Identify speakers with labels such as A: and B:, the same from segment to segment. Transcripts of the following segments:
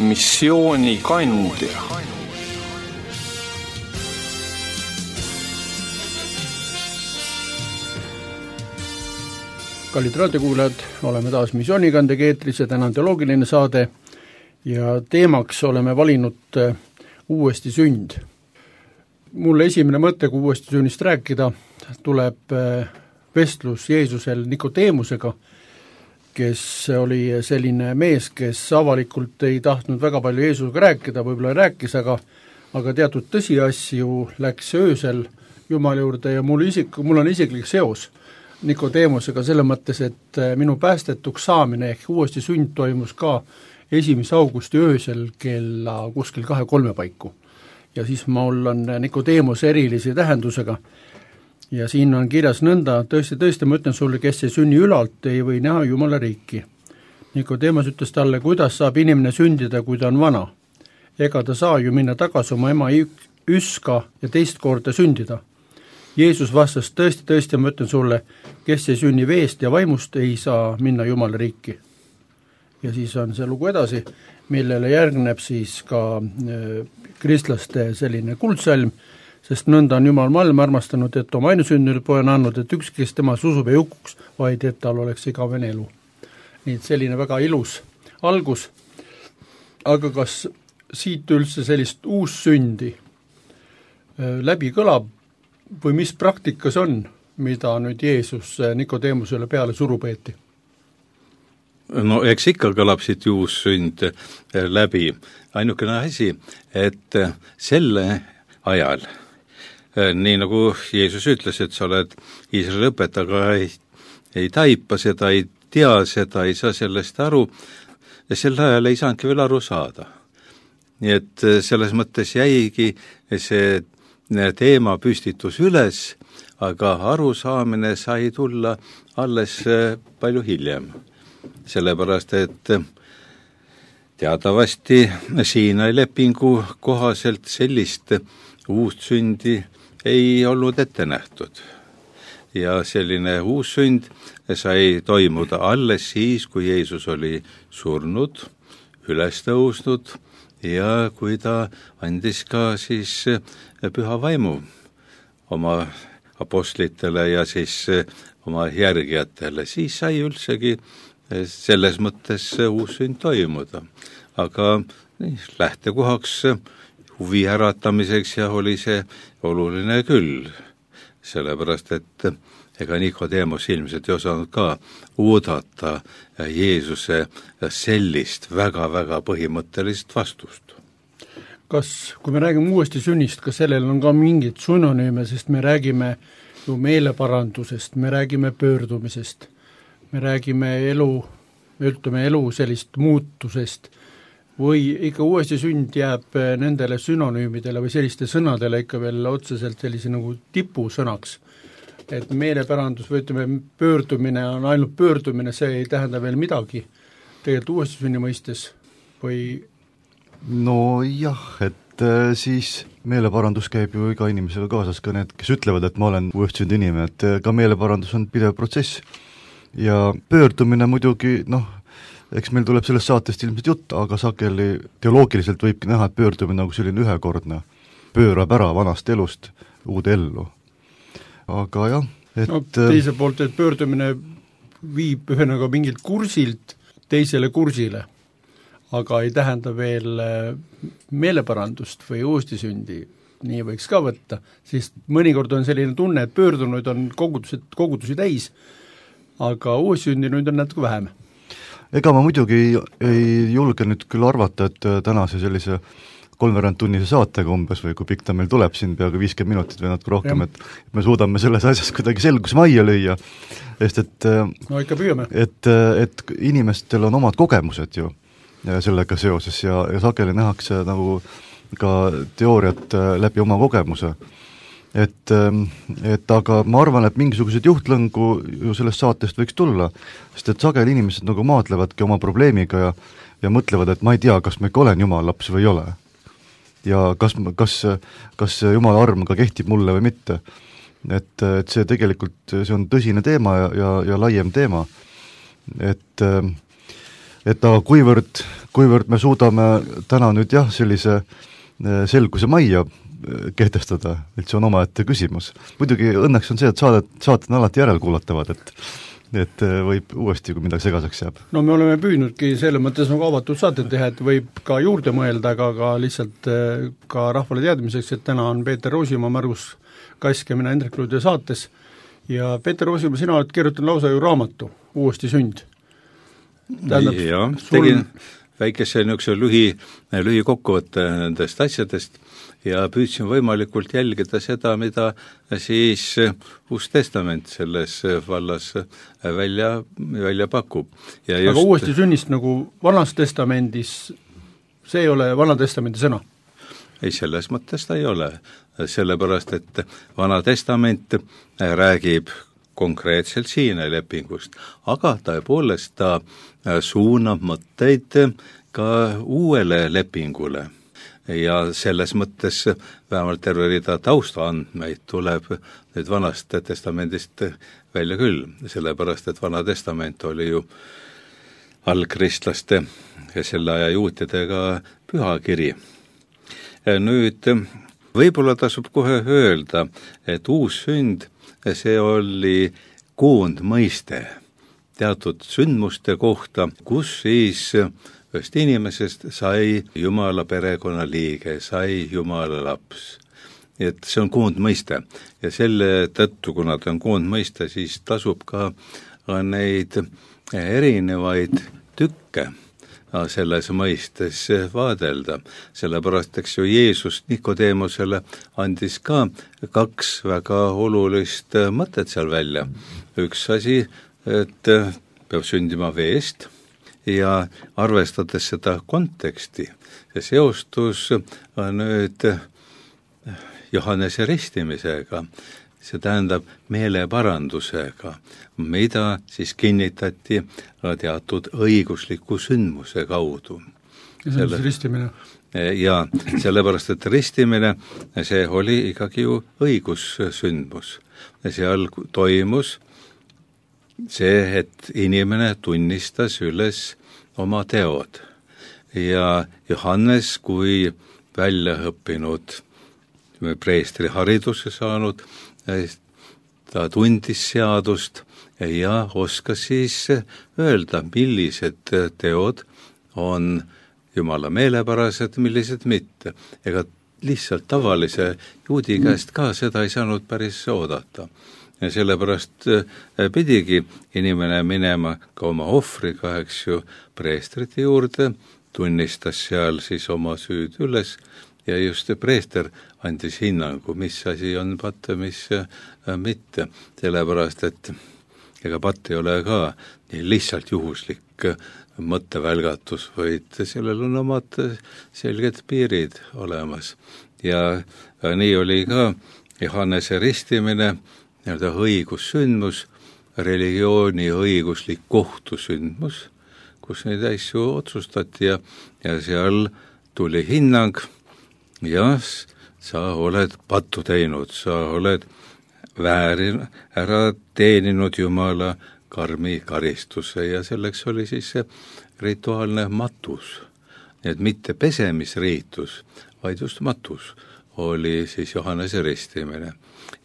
A: missiooni kandja.
B: Kallid raadiokuulajad, oleme taas missioonikandega eetris ja täna on teoloogiline saade ja teemaks oleme valinud uuesti sünd. Mulle esimene mõte, kui uuesti sünnist rääkida, tuleb vestlus Jeesusel Nikodeemusega, kes oli selline mees, kes avalikult ei tahtnud väga palju Jeesusega rääkida, võib-olla rääkis, aga teatud tõsiasju läks öösel Jumala juurde ja mul on isiklik seos Nikodeemusega selle mõttes, et minu päästetuks saamine ehk uuesti sünd toimus ka 1. augusti öösel kella kuskil 2-3 paiku. Ja siis mul on Nikodeemus erilise tähendusega ja siin on kirjas nõnda, tõesti ma ütlen sulle, kes ei sünni ülalt, ei või näha Jumala riiki. Nikodeemus ütles talle, kuidas saab inimene sündida, kui ta on vana. Ega ta saa ju minna tagasi oma ema üska ja teist korda sündida. Jeesus vastas, tõesti, ma ütlen sulle, kes ei sünni veest ja vaimust, ei saa minna Jumala riiki. Ja siis on see lugu edasi, millele järgneb siis ka kristlaste selline kuldsalm, sest nõnda on Jumal maailma armastanud, et oma ainusünnilt poja on andnud, et ükski, kes temas usub ei hukuks, vaid et tal oleks igavene elu. Nii et selline väga ilus algus, aga kas siit üldse sellist uussündi läbi kõlab, või mis praktikas on, mida nüüd Jeesus Nikodeemusele peale suru peeti?
C: No eks ikka kõlab siit uus sünd läbi. Ainukene asi, et selle ajal, nii nagu Jeesus ütles, et sa oled Iisraeli õpetaja, aga ei taipa seda, ei tea seda, ei saa sellest aru, ja sel ajal ei saanudki veel aru saada. Nii et selles mõttes jäigi see teema püstitus üles, aga arusaamine sai tulla alles palju hiljem. Sellepärast, et teatavasti Siinai lepingu kohaselt sellist uust sündi ei olnud ette nähtud. Ja selline uus sünd sai toimuda alles siis, kui Jeesus oli surnud, üles tõusnud ja kui ta andis ka siis püha vaimu oma apostlitele ja siis oma järgijatele, siis sai üldsegi selles mõttes uus sünd toimuda. Aga lähtekohaks huvi äratamiseks ja oli see oluline küll, sellepärast et ega Nikodeemus ilmselt ei osanud ka oodata Jeesuse sellist väga-väga põhimõttelist vastust.
B: Kas, kui me räägime uuesti sünnist, kas sellel on ka mingid synonüüme, sest me räägime ju meeleparandusest, me räägime pöördumisest, me räägime elu sellist muutusest või ikka uuesti sünd jääb nendele synonüümidele või selliste sõnadele ikka veel otseselt sellise nagu tipusõnaks, et meeleparandus või ütleme pöördumine on ainult pöördumine, see ei tähenda veel midagi tegelikult uuesti sünni mõistes või?
D: No jah, et siis meeleparandus käib ju iga inimesega kaasas, ka need, kes ütlevad, et ma olen uuesti sünd inimene, et ka meeleparandus on pidev protsess. Ja pöördumine muidugi, eks meil tuleb sellest saatest ilmselt jutt, aga sageli teoloogiliselt võibki näha, et pöördumine nagu selline ühekordne, pöörab ära vanast elust uude ellu. Aga jah, et
B: teise poolt, et pöördumine viib ühenaga mingilt kursilt teisele kursile, aga ei tähenda veel meeleparandust või uustisündi, nii võiks ka võtta, siis mõnikord on selline tunne, et pöördunuid on kogudusi täis, aga uustsündinuid on natuke vähem.
D: Ega ma muidugi ei julge nüüd küll arvata, et tänase sellise 3/2-tunnise saatega umbes või kui pikk ta meil tuleb siin peaaegu 50 minutit või natuke rohkem, et me suudame selles asjas kuidagi selgus majja lüüa, sest et
B: no ikka püüame.
D: Et inimestel on omad kogemused ju sellega seoses ja sageli nähakse nagu ka teooriat läbi oma kogemuse. Et aga ma arvan, et mingisugused juhtlõngu ju sellest saatest võiks tulla, sest et sageli inimesed nagu maatlevadki oma probleemiga ja mõtlevad, et ma ei tea, kas ma ikka olen Jumala laps või ei ole. Ja kas Jumala arm ka kehtib mulle või mitte. Et see tegelikult, see on tõsine teema ja laiem teema. Et et aga kuivõrd me suudame täna nüüd jah, sellise selguse majja kehtestada, et see on omaette küsimus. Muidugi õnneks on see, et saated on alati järelkuulatavad, et võib uuesti, kui midagi segaseks jääb.
B: No me oleme püüdnudki selle mõttes nagu avatud saated teha, et võib ka juurde mõelda, aga ka lihtsalt ka rahvale teadmiseks, et täna on Peeter Roosimaa, Margus Kask ja mina Hendrik Luude saates ja Peeter Roosimaa, sina oled kirjutanud lausa ju raamatu Uuesti sünd.
C: Jah, tegin väikese niisuguse lühikokkuvõtte nendest asjadest ja püüdsin võimalikult jälgida seda, mida siis Uus Testament selles vallas välja pakub. Ja
B: aga Uuesti sünnist nagu Vanas Testamendis, see ei ole Vana Testamendi sõna?
C: Ei, selles mõttes ta ei ole, sellepärast, et Vana Testament räägib konkreetselt Siina lepingust, aga tõepoolest ta suunab mõtteid ka uuele lepingule. Ja selles mõttes vähemalt terve rida taustaandmeid tuleb nüüd Vanast Testamendist välja küll, sellepärast et Vana Testament oli ju algkristlaste ja selle aja juutidega pühakiri. Nüüd võib-olla tasub kohe öelda, et uus sünd, see oli koondmõiste teatud sündmuste kohta, kus siis ühest inimesest sai Jumala perekonna liige, sai Jumala laps. Et see on koondmõiste ja selle tõttu, kuna ta on koondmõiste, siis tasub ka neid erinevaid tükke selles mõistes vaadelda. Sellepärast, eks ju, Jeesus Nikodeemusele andis ka 2 väga olulist mõtet seal välja. Üks asi, et peab sündima veest ja arvestades seda konteksti ja seostus nüüd Johannese ristimisega, see tähendab meeleparandusega, mida siis kinnitati teatud õigusliku sündmuse kaudu.
B: Ja see on ristimine?
C: Ja sellepärast, et ristimine, see oli ikkagi ju õigussündmus. Seal toimus see, et inimene tunnistas üles oma teod ja Johannes kui väljaõppinud preestri hariduse saanud, ta tundis seadust ja oskas siis öelda, millised teod on Jumala meelepärased, millised mitte. Ega lihtsalt tavalise juudi käest ka seda ei saanud päris oodata. Ja sellepärast pidigi inimene minema ka oma ohvriga, eks ju, preestrite juurde, tunnistas seal siis oma süüd üles ja just preester andis hinnangu, mis asi on patt, mis mitte. Sellepärast, et ega patt ei ole ka nii lihtsalt juhuslik mõttevälgatus, vaid sellel on omad selged piirid olemas. Ja nii oli ka Johannese ristimine, õigussündmus, religiooni õiguslik kohtusündmus, kus neid asju otsustati ja seal tuli hinnang, ja sa oled pattu teinud, sa oled ära teeninud Jumala karmi karistuse ja selleks oli siis see rituaalne matus. Nii et mitte pesemisriitus, vaid just matus oli siis Johannese ristimine.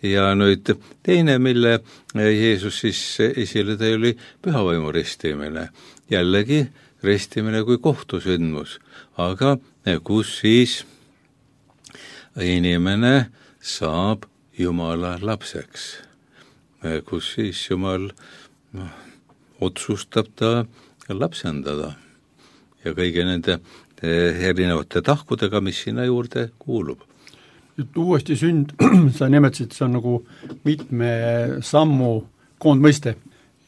C: Ja nüüd teine, mille Jeesus siis esile tõi, oli pühavaimu ristimine. Jällegi ristimine kui kohtusündmus, aga kus siis inimene saab Jumala lapseks, kus siis Jumal otsustab ta lapsendada ja kõigi nende erinevate tahkudega, mis sinna juurde kuulub.
B: Uuesti sünd, sa nimetasid, see on nagu mitme sammu koondmõiste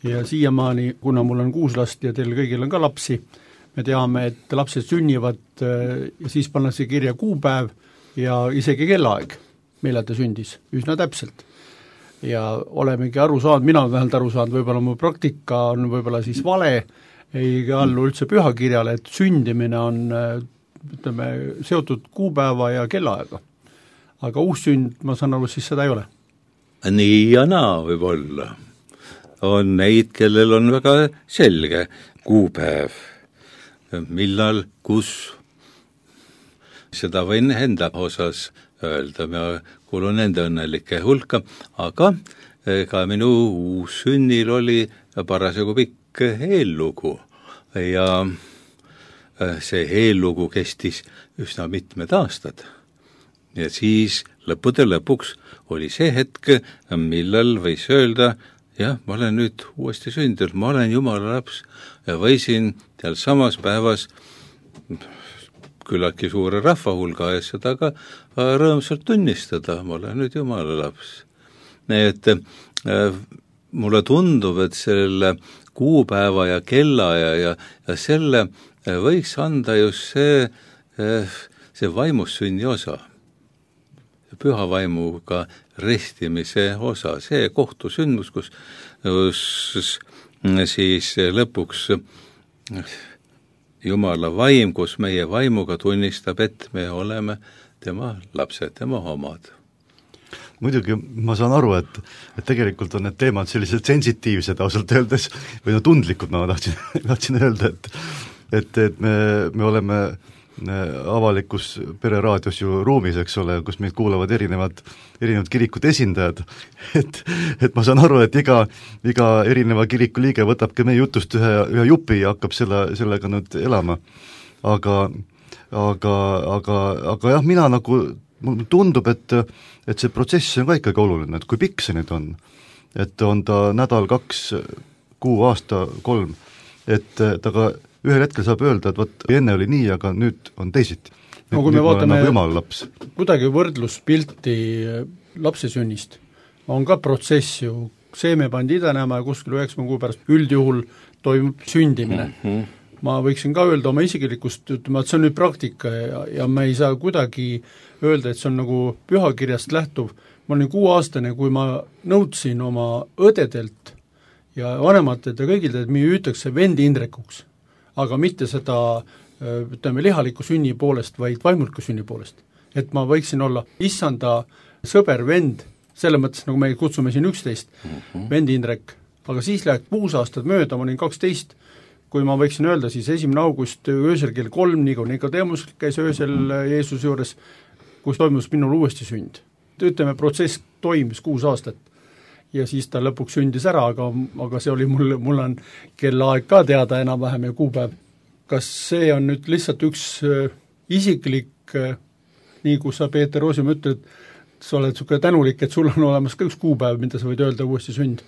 B: ja siiamaani, kuna mul on 6 last ja teil kõigil on ka lapsi, me teame, et lapsed sünnivad ja siis pannakse kirja kuupäev ja isegi kellaaeg, millal ta sündis, üsna täpselt. Ja olemegi aru saanud, mina olen vähemalt aru saanud, võib-olla mu praktika on võib-olla siis vale, ei allu üldse pühakirjale, et sündimine on ütleme, seotud kuupäeva ja kellaaega. Aga uus sünd, ma saan aru, siis seda ei ole?
C: Nii ja naa võib olla. On neid, kellel on väga selge kuupäev millal, kus, seda võin enda osas öelda, ma kuulun nende õnnelike hulka, aga ka minu uussünnil oli parasjagu pikk eellugu ja see eellugu kestis üsna mitmed aastad. Ja siis lõppude lõpuks oli see hetk, millal võis öelda, jah, ma olen nüüd uuesti sündinud, ma olen Jumala laps ja võisin seal samas päevas küllaltki suure rahvahulga ees seda ka rõõmsalt tunnistada, ma olen nüüd Jumala laps. Nii et mulle tundub, et selle kuupäeva ja kellaja ja selle võiks anda just see vaimussünni osa, püha vaimuga restimise osa, see kohtusündmus, kus siis lõpuks Jumala vaim, kus meie vaimuga tunnistab, et me oleme tema lapsed, tema omad.
D: Muidugi ma saan aru, et tegelikult on need teemad sellised sensitiivsed ausalt öeldes, või no tundlikud, ma tahtsin öelda, et me oleme avalikus pereraadios ju ruumis, eks ole, kus meid kuulavad erinevad kirikute esindajad, et ma saan aru, et iga erineva kiriku liige võtab ka meie jutust ühe jupi ja hakkab sellega nüüd elama. Aga jah, mina nagu, mulle tundub, et see protsess on ka ikkagi oluline, et kui pikk see nüüd on, et on ta nädal, 2 kuu, aasta, 3, et ta ka ühel hetkel saab öelda, et võt, enne oli nii, aga nüüd on teisiti.
B: No kui me vaatame
D: nagu
B: kuidagi võrdluspilti lapse sünnist, on ka protsess ju, seeme pandi idanema ja kuskil 9 kuu pärast üldjuhul toimub sündimine. Ma võiksin ka öelda oma isiklikust, ütlema, et see on nüüd praktika ja me ei saa kuidagi öelda, et see on nagu pühakirjast lähtuv. Ma olin 6-aastane, kui ma nõudsin oma õdedelt ja vanematelt ja kõigilt, et me hüütakse vendi Indrekuks, aga mitte seda, ütleme, lihaliku sünni poolest, vaid vaimuliku sünni poolest. Et ma võiksin olla issanda sõber, vend, selle mõttes, nagu me kutsume siin 11, vend Indrek, aga siis läheb 6 aastat mööda, ma olin 12, kui ma võiksin öelda, siis 1. august öösel kell 3, nii kui Nikodemus käis öösel Jeesuse juures, kus toimus minul uuesti sünd. Ütleme, protsess toimis 6 aastat ja siis ta lõpuks sündis ära, aga see oli mul on kellaaeg ka teada enam-vähem ja kuupäev. Kas see on nüüd lihtsalt üks isiklik, nii kui sa, Peeter Roosium, ütled, sa oled niisugune tänulik, et sul on olemas ka üks kuupäev, mida sa võid öelda uuesti sünd.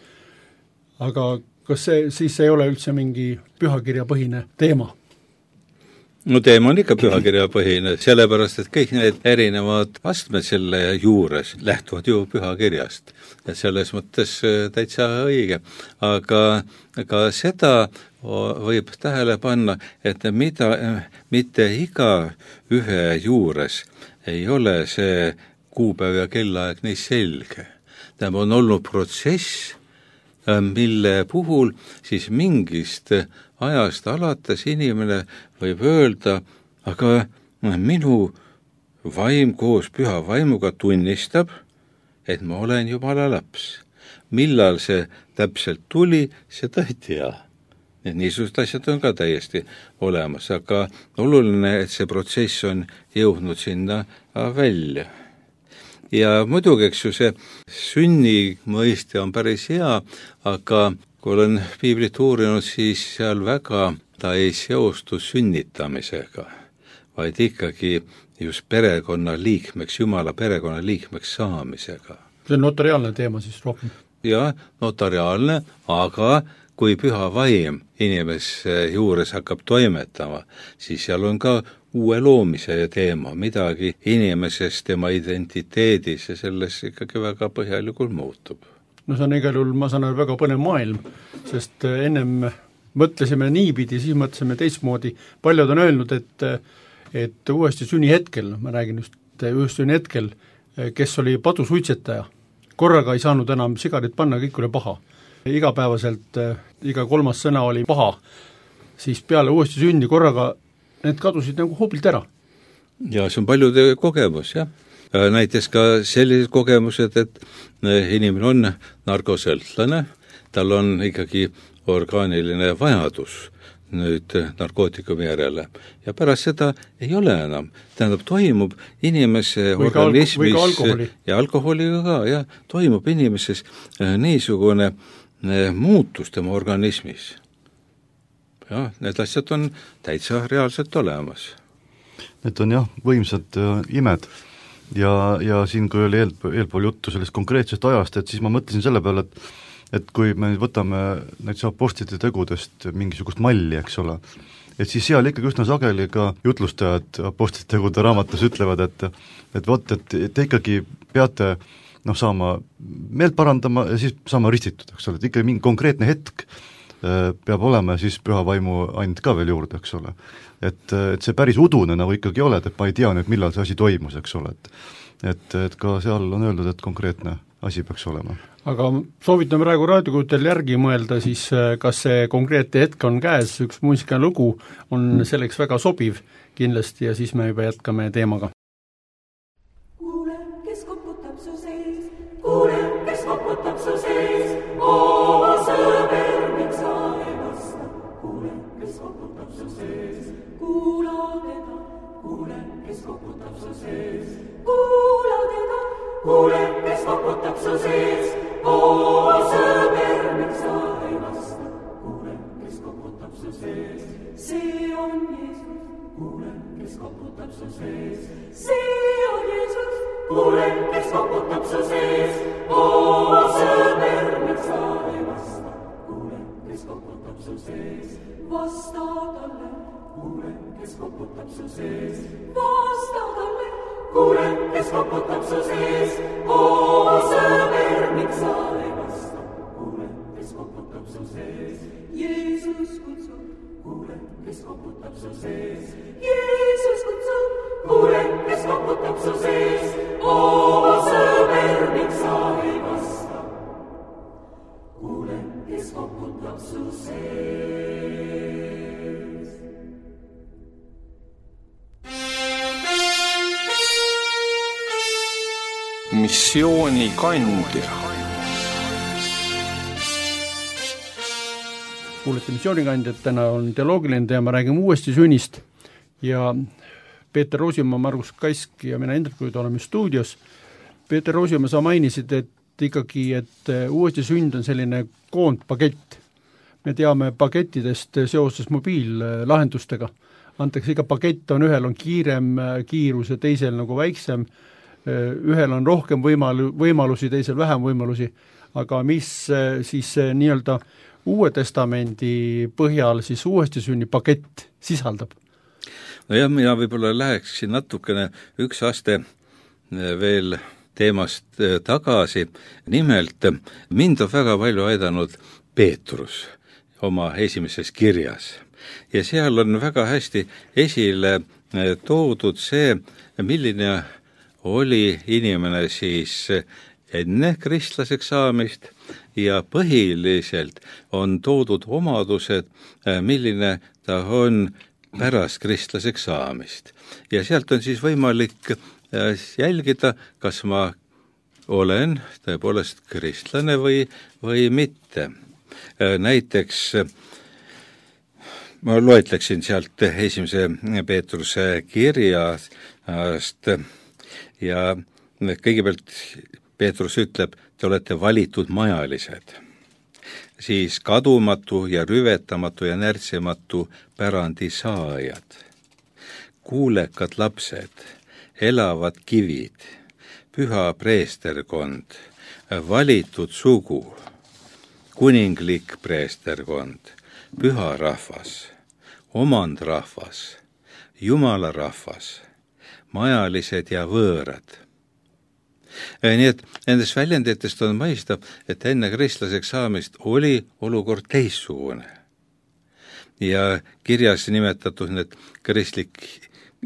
B: Aga kas see siis ei ole üldse mingi pühakirjapõhine teema?
C: No teema on ikka pühakirjapõhine, sellepärast, et kõik need erinevad astmed selle juures lähtuvad ju pühakirjast. Ja selles mõttes täitsa õige. Aga seda võib tähele panna, et mitte iga ühe juures ei ole see kuupäev ja kellaaeg nii selge. Tämä on olnud protsess, mille puhul siis mingist ajast alates inimene võib öelda, aga minu vaim koos püha vaimuga tunnistab, et ma olen Jumala laps. Millal see täpselt tuli, seda ei tea. Niisugused asjad on ka täiesti olemas, aga oluline, et see protsess on jõudnud sinna välja. Ja muidugi, eks ju, see sünni mõiste on päris hea, aga kui olen piiblit uurinud, siis seal väga ta ei seostu sünnitamisega, vaid ikkagi just perekonna liikmeks, Jumala perekonna liikmeks saamisega.
B: See on notariaalne teema siis rohkem?
C: Ja, notariaalne, aga kui püha vaim inimese juures hakkab toimetama, siis seal on ka uue loomise teema, midagi inimesest, tema identiteedis ja selles ikkagi väga põhjalikult muutub.
B: No see on igal juhul, ma saan väga põnev maailm, sest ennem mõtlesime niipidi, siis mõtlesime teistmoodi. Paljud on öelnud, et uuesti sünni hetkel, ma räägin just uuesti sünni hetkel, kes oli padusuitsetaja, korraga ei saanud enam sigarit panna, kõik oli paha. Igapäevaselt, iga 3. sõna oli paha, siis peale uuesti sünni korraga need kadusid nagu hoobilt ära.
C: Ja see on paljude kogemus, jah. Näiteks ka sellised kogemused, et inimene on narkosõltlane, tal on ikkagi orgaaniline vajadus nüüd narkootikumi järele ja pärast seda ei ole enam. Tähendab, toimub inimese organismis ja alkoholiga ka, ja toimub inimeses niisugune muutus tema organismis. Ja need asjad on täitsa reaalselt olemas.
D: Need on jah, võimsad imed ja siin, kui oli eelpool juttu sellest konkreetsest ajast, et siis ma mõtlesin selle peale, et kui me võtame näiteks apostlite tegudest mingisugust malli, eks ole, et siis seal ikkagi üsna sageli ka jutlustajad apostlite tegude raamatus ütlevad, et vot, et te ikkagi peate saama meelt parandama ja siis saama ristitud, eks ole, et ikkagi mingi konkreetne hetk peab olema ja siis püha vaimu and ka veel juurde, eks ole. Et see päris udune nagu ikkagi oled, et ma ei tea nüüd, millal see asi toimus, eks ole, et ka seal on öeldud, et konkreetne asi peaks olema.
B: Aga soovitan praegu raadiokuutel järgi mõelda siis, kas see konkreetne hetk on käes, üks muusikaline lugu on selleks väga sobiv kindlasti ja siis me juba jätkame teemaga.
E: Kuule, kes koputab su sees, kuule, kes koputab su sees, oo sõber, miks sa ei vasta, kuule, kes koputab su sees, kuula teda, kuule, kes koputab su sees, kuula teda, kuule, kes koputab su sees, oo sõber, miks sa ei vasta, kuule, kes koputab su sees, see on Jeesus, kuule, kes koputab su sees, see on Jeesus, kuule, kes koputab su sees, oo sõber, miks sa ei vasta, kuule, kes koputab su sees, vasta talle, kuule, kes koputab su sees, vasta talle, kuule, kes koputab su sees, oo sõber, miks sa ei vasta, kuule, kes koputab su sees, Jeesus kutsub, kuule, kes koputab su sees, Jeesus kutsub, kuule, kes koputab su sees, oo sõber, miks sa ei vasta, kuule, kes koputab su sees.
A: Missioonikandja.
B: Kuulete missioonikandjat, täna on teoloogiline teema, räägime uuesti sünnist ja Peeter Roosimaa, Margus Kask ja mina Hendrik Kuid oleme stuudios. Peeter Roosimaa, sa mainisid, et ikkagi, et uuesti sünd on selline koondpakett. Me teame pakettidest seoses mobiillahendustega. Antakse iga pakett on, ühel on kiirem kiirus ja teisel nagu väiksem, ühel on rohkem võimalusi, teisel vähem võimalusi, aga mis siis nii-öelda Uue Testamendi põhjal siis uuesti sünni pakett sisaldab?
C: No jah, mina võib-olla läheksin natukene üks aste veel teemast tagasi. Nimelt, mind on väga palju aidanud Peetrus oma esimeses kirjas. Ja seal on väga hästi esile toodud see, milline oli inimene siis enne kristlaseks saamist ja põhiliselt on toodud omadused, milline ta on pärast kristlaseks saamist. Ja sealt on siis võimalik jälgida, kas ma olen tõepoolest kristlane või mitte. Näiteks ma loetleksin sealt esimese Peetruse kirjast ja kõigepealt Peetrus ütleb, te olete valitud majalised, siis kadumatu ja rüvetamatu ja närtsimatu pärandi saajad, kuulekad lapsed, elavad kivid, püha preesterkond, valitud sugu, kuninglik preesterkond, püha rahvas, omandrahvas, Jumala rahvas, majalised ja võõrad. Nii et nendest väljenditest on mõista, et enne kristlaseks saamist oli olukord teissugune. Ja kirjas nimetatud need kristlik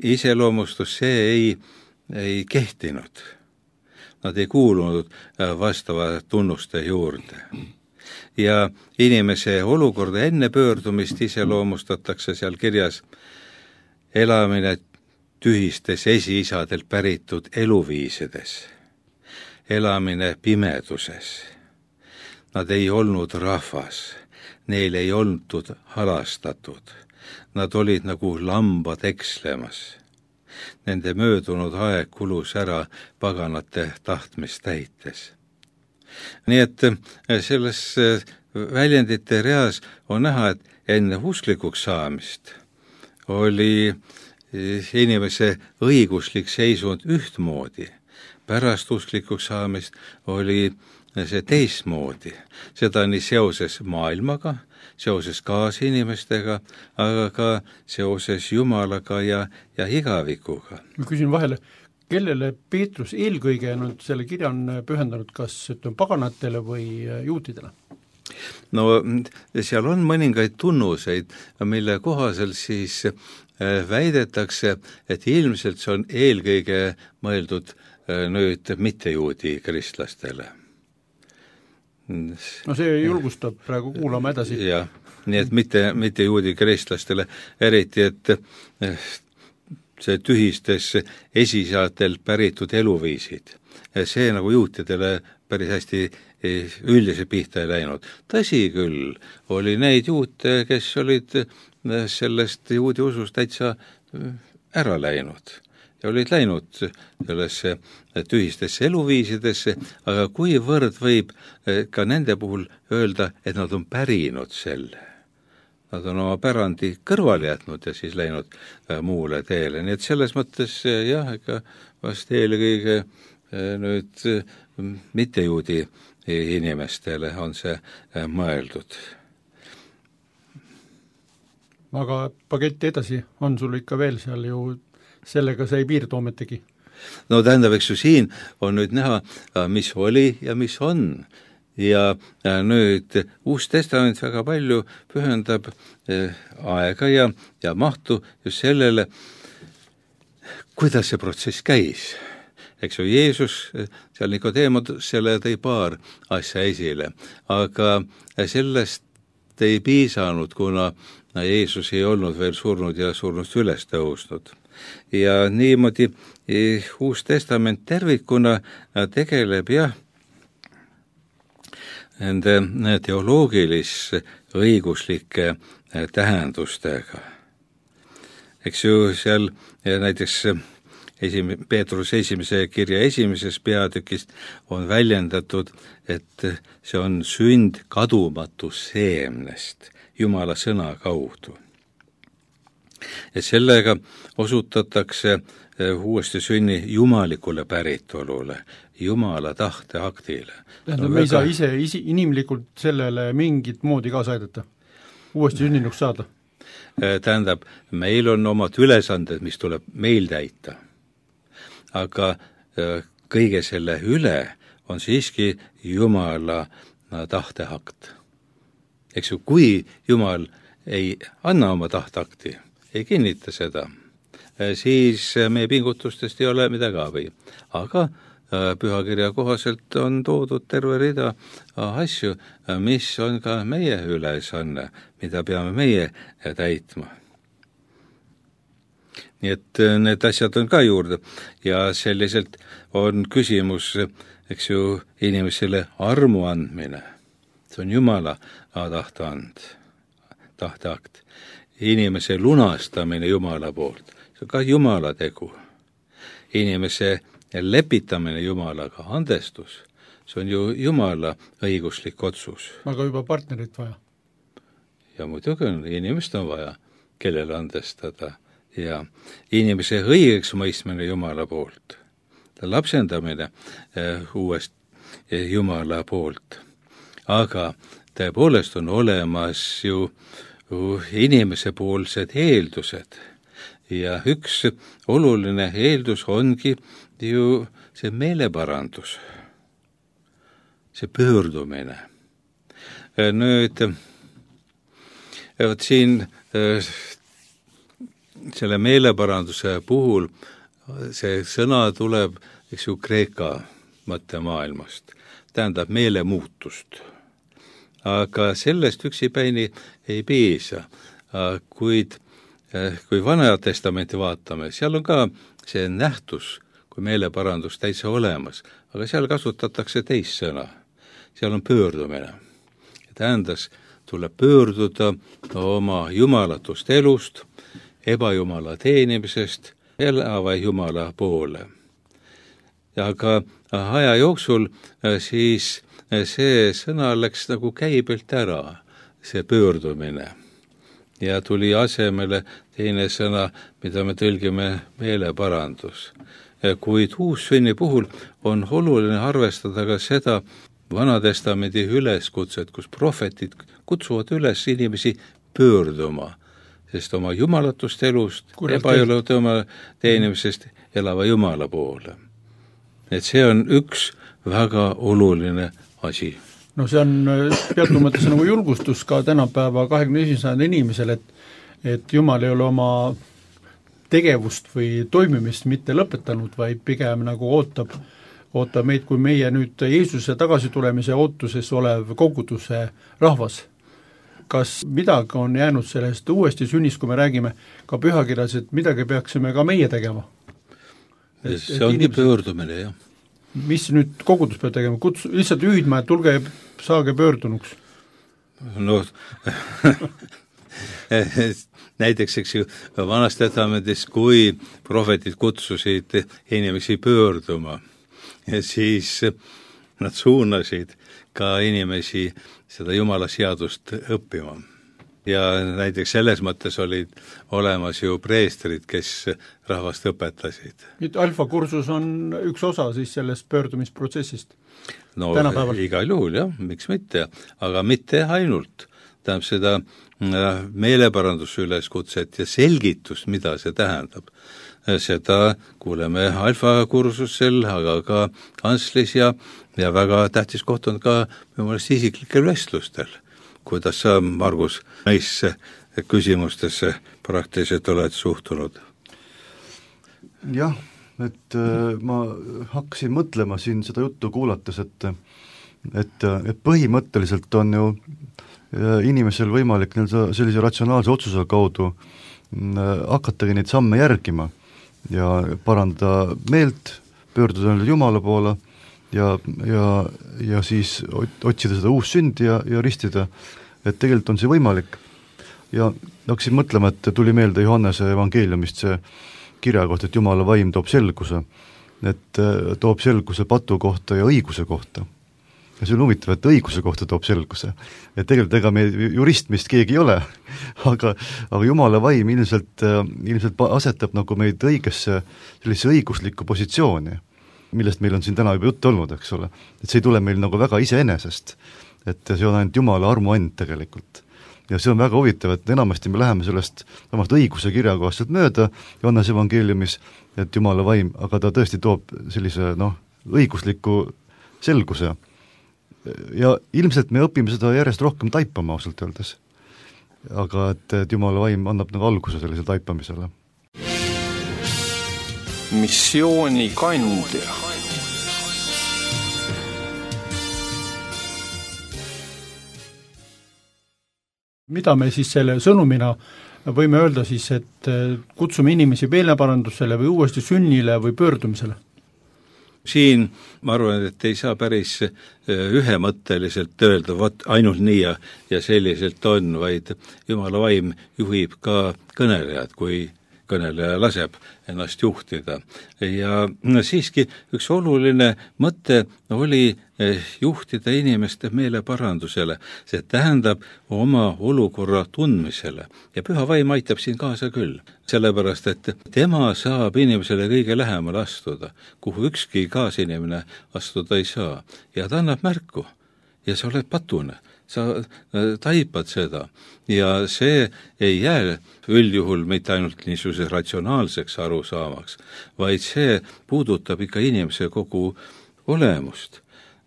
C: iseloomustus, see ei kehtinud. Nad ei kuulunud vastava tunnuste juurde. Ja inimese olukorda enne pöördumist iseloomustatakse seal kirjas elamine tühistes esiisadelt päritud eluviisides, elamine pimeduses. Nad ei olnud rahvas, neil ei olnud halastatud. Nad olid nagu lambad ekslemas. Nende möödunud aeg kulus ära paganate tahtmist täites. Nii et selles väljendite reas on näha, et enne usklikuks saamist oli inimese õiguslik seisund ühtmoodi. Pärast usklikuks saamist oli see teistmoodi. Seda nii seoses maailmaga, seoses kaasinimestega, aga ka seoses Jumalaga ja igavikuga.
B: Ma küsin vahele, kellele Peetrus eelkõige selle kirja on pühendanud, kas paganatele või juutidele?
C: No seal on mõningaid tunnuseid, mille kohaselt siis väidetakse, et ilmselt see on eelkõige mõeldud nüüd mittejuudi kristlastele.
B: No see julgustab praegu kuulama edasi.
C: Jah, nii et mitte juudi kristlastele, eriti, et see tühistes esiisadel päritud eluviisid. See nagu juutidele päris hästi üldise pihta ei läinud. Tõsi küll, oli neid juute, kes olid sellest juudi usust täitsa ära läinud ja olid läinud sellesse tühistesse eluviisidesse, aga kuivõrd võib ka nende puhul öelda, et nad on pärinud selle. Nad on oma pärandi kõrvale jätnud ja siis läinud muule teele. Nii et selles mõttes jah, ega vast eelkõige nüüd mittejuudi inimestele on see mõeldud.
B: Aga paketti edasi on sul ikka veel seal ju, sellega sa ei piirdu ometegi?
C: No tähendab, eks ju siin on nüüd näha, mis oli ja mis on. Ja nüüd Uus Testament väga palju pühendab aega ja mahtu just sellele, kuidas see protsess käis. Eks ju, Jeesus, seal Nikodeemosele tõi paar asja esile, aga sellest ei piisanud, kuna Jeesus ei olnud veel surnud ja surnust üles tõusnud. Ja niimoodi Uus Testament tervikuna tegeleb nende teoloogilis-õiguslike tähendustega. Eks ju, seal näiteks Peetruse esimese kirja esimeses peatükist on väljendatud, et see on sünd kadumatu seemnest Jumala sõna kaudu. Ja sellega osutatakse uuesti sünni jumalikule päritolule, Jumala tahteaktile.
B: Tähendab, me ei saa ise inimlikult sellele mingit moodi kaasa aidata, uuesti sünninuks saada?
C: Tähendab, meil on omad ülesanded, mis tuleb meil täita. Aga kõige selle üle on siiski Jumala tahteakt. Eks ju, kui Jumal ei anna oma tahteakti, ei kinnita seda, siis meie pingutustest ei ole midagi abi. Aga pühakirja kohaselt on toodud terve rida asju, mis on ka meie ülesanne, mida peame meie täitma. Nii et need asjad on ka juurde ja selliselt on küsimus, eks ju, inimesele armu andmine. See on Jumala tahteakt. Inimese lunastamine Jumala poolt, see on ka Jumala tegu. Inimese lepitamine Jumalaga, andestus, see on ju Jumala õiguslik otsus.
B: Aga juba partnerit vaja.
C: Ja muidugi on, inimest on vaja, kellele andestada. Ja inimese õigeks mõistmine Jumala poolt, lapsendamine uuest Jumala poolt. Aga tõepoolest on olemas ju inimese poolsed eeldused ja üks oluline eeldus ongi ju see meeleparandus, see pöördumine. Nüüd, siin selle meeleparanduse puhul see sõna tuleb, eks ju, Kreeka mõttemaailmast, tähendab meelemuutust. Aga sellest üksipäini ei piisa, kuid kui Vana Testamenti vaatame, seal on ka see nähtus kui meeleparandus täitsa olemas, aga seal kasutatakse teist sõna. Seal on pöördumine. tuleb pöörduda oma jumalatust elust, ebajumala teenimisest elava Jumala poole. Ja ka aja jooksul siis see sõna läks nagu käibelt ära, see pöördumine. Ja tuli asemele teine sõna, mida me tõlgime meeleparandus. Kuid uussünni puhul on oluline arvestada ka seda Vanatestamendi üleskutset, kus prohvetid kutsuvad üles inimesi pöörduma, sest oma jumalatust elust, ebajumala teenimisest elava Jumala poole. Et see on üks väga oluline asi.
B: No see on teatud mõttes nagu julgustus ka tänapäeva 21. sajandi inimesel, et Jumal ei ole oma tegevust või toimimist mitte lõpetanud, vaid pigem nagu ootab meid, kui meie nüüd Jeesuse tagasitulemise ootuses olev koguduse rahvas. Kas midagi on jäänud sellest uuesti sünnist, kui me räägime ka pühakirjas, et midagi peaksime ka meie tegema?
C: See ongi pöördumine, jah.
B: Mis nüüd kogudus peab tegema? Lihtsalt hüüdma, et tulge, saage pöördunuks?
C: No näiteks, eks ju, Vanas Testamendis, kui prohvetid kutsusid inimesi pöörduma, ja siis nad suunasid ka inimesi seda Jumala seadust õppima. Ja näiteks selles mõttes olid olemas ju preestrid, kes rahvast õpetasid.
B: Nüüd alfakursus on üks osa siis sellest pöördumisprotsessist?
C: No
B: tänapäeval.
C: Igal juhul, jah, miks mitte, aga mitte ainult. Tähendab seda meeleparandusüleskutset ja selgitust, mida see tähendab. Seda kuuleme alfakursusel, aga ka kanslis ja väga tähtis koht on ka minu meelest isiklikel vestlustel. Kuidas sa, Margus, neisse küsimustesse praktiliselt oled suhtunud?
D: Jah, et ma hakkasin mõtlema siin seda juttu kuulates, et põhimõtteliselt on ju inimesel võimalik sellise ratsionaalse otsuse kaudu hakatagi neid samme järgima ja parandada meelt, pöörduda Jumala poole ja siis otsida seda uussündi ja ristida, et tegelikult on see võimalik. Ja hakkasin mõtlema, et tuli meelde Johannese evangeeliumist see kirja kohta, et Jumala vaim toob selguse, et toob selguse patu kohta ja õiguse kohta. Ja see on huvitav, et õiguse kohta toob selguse. Et tegelikult ega me jurist meist keegi ei ole, aga Jumala vaim ilmselt asetab nagu meid õigesse sellise õiguslikku positsiooni, millest meil on siin täna juba juttu olnud, eks ole. Et see ei tule meil nagu väga iseenesest, et see on ainult Jumala armuand tegelikult. Ja see on väga huvitav, et enamasti me läheme sellest samast õiguse kirjakohastelt mööda Johannese evangeeliumis, et Jumala vaim, aga ta tõesti toob sellise õigusliku selguse. Ja ilmselt me õpime seda järjest rohkem taipama ausalt öeldes. Aga et Jumala vaim annab nagu alguse sellisele taipamisele.
A: Missiooni kandja.
B: Mida me siis selle sõnumina võime öelda siis, et kutsume inimesi meeleparandusele või uuesti sünnile või pöördumisele?
C: Siin ma arvan, et ei saa päris ühemõtteliselt öelda, ainult nii ja selliselt on, vaid Jumala vaim juhib ka kõnelejad, kui kõneleja laseb ennast juhtida. Ja siiski üks oluline mõte oli juhtida inimeste meeleparandusele. See tähendab oma olukorra tundmisele. Ja püha vaim aitab siin kaasa küll. Sellepärast, et tema saab inimesele kõige lähemale astuda, kuhu ükski kaasinimene astuda ei saa. Ja ta annab märku. Ja sa oled patune. Sa taipad seda ja see ei jää üldjuhul mitte ainult niisuguse ratsionaalseks arusaamaks, vaid see puudutab ikka inimese kogu olemust.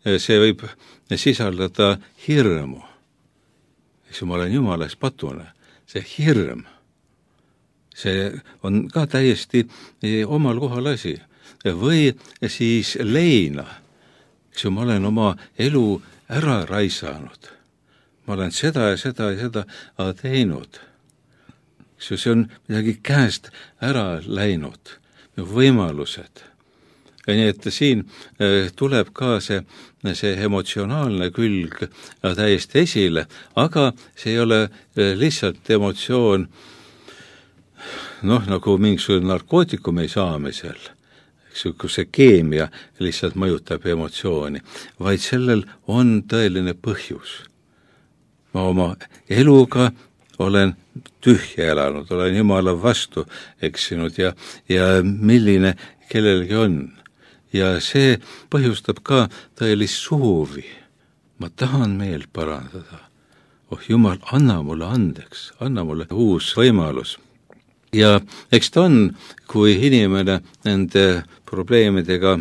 C: See võib sisaldada hirmu. Eks ma olen Jumalas patune. See hirm, see on ka täiesti omal kohal asi. Või siis leina. Eks ma olen oma elu ära raisanud. Ma olen seda ja seda teinud. See on midagi käest ära läinud. Võimalused. nii et siin tuleb ka see emotsionaalne külg täiesti esile, aga see ei ole lihtsalt emotsioon nagu mingisugune narkootikumi saamisel, kus see keemia lihtsalt mõjutab emotsiooni, vaid sellel on tõeline põhjus. Ma oma eluga olen tühja elanud, olen Jumala vastu eksinud ja milline kellelgi on. Ja see põhjustab ka tõelist soovi. Ma tahan meelt parandada. Jumal, anna mulle andeks, anna mulle uus võimalus. Ja eks ta on, kui inimene nende probleemidega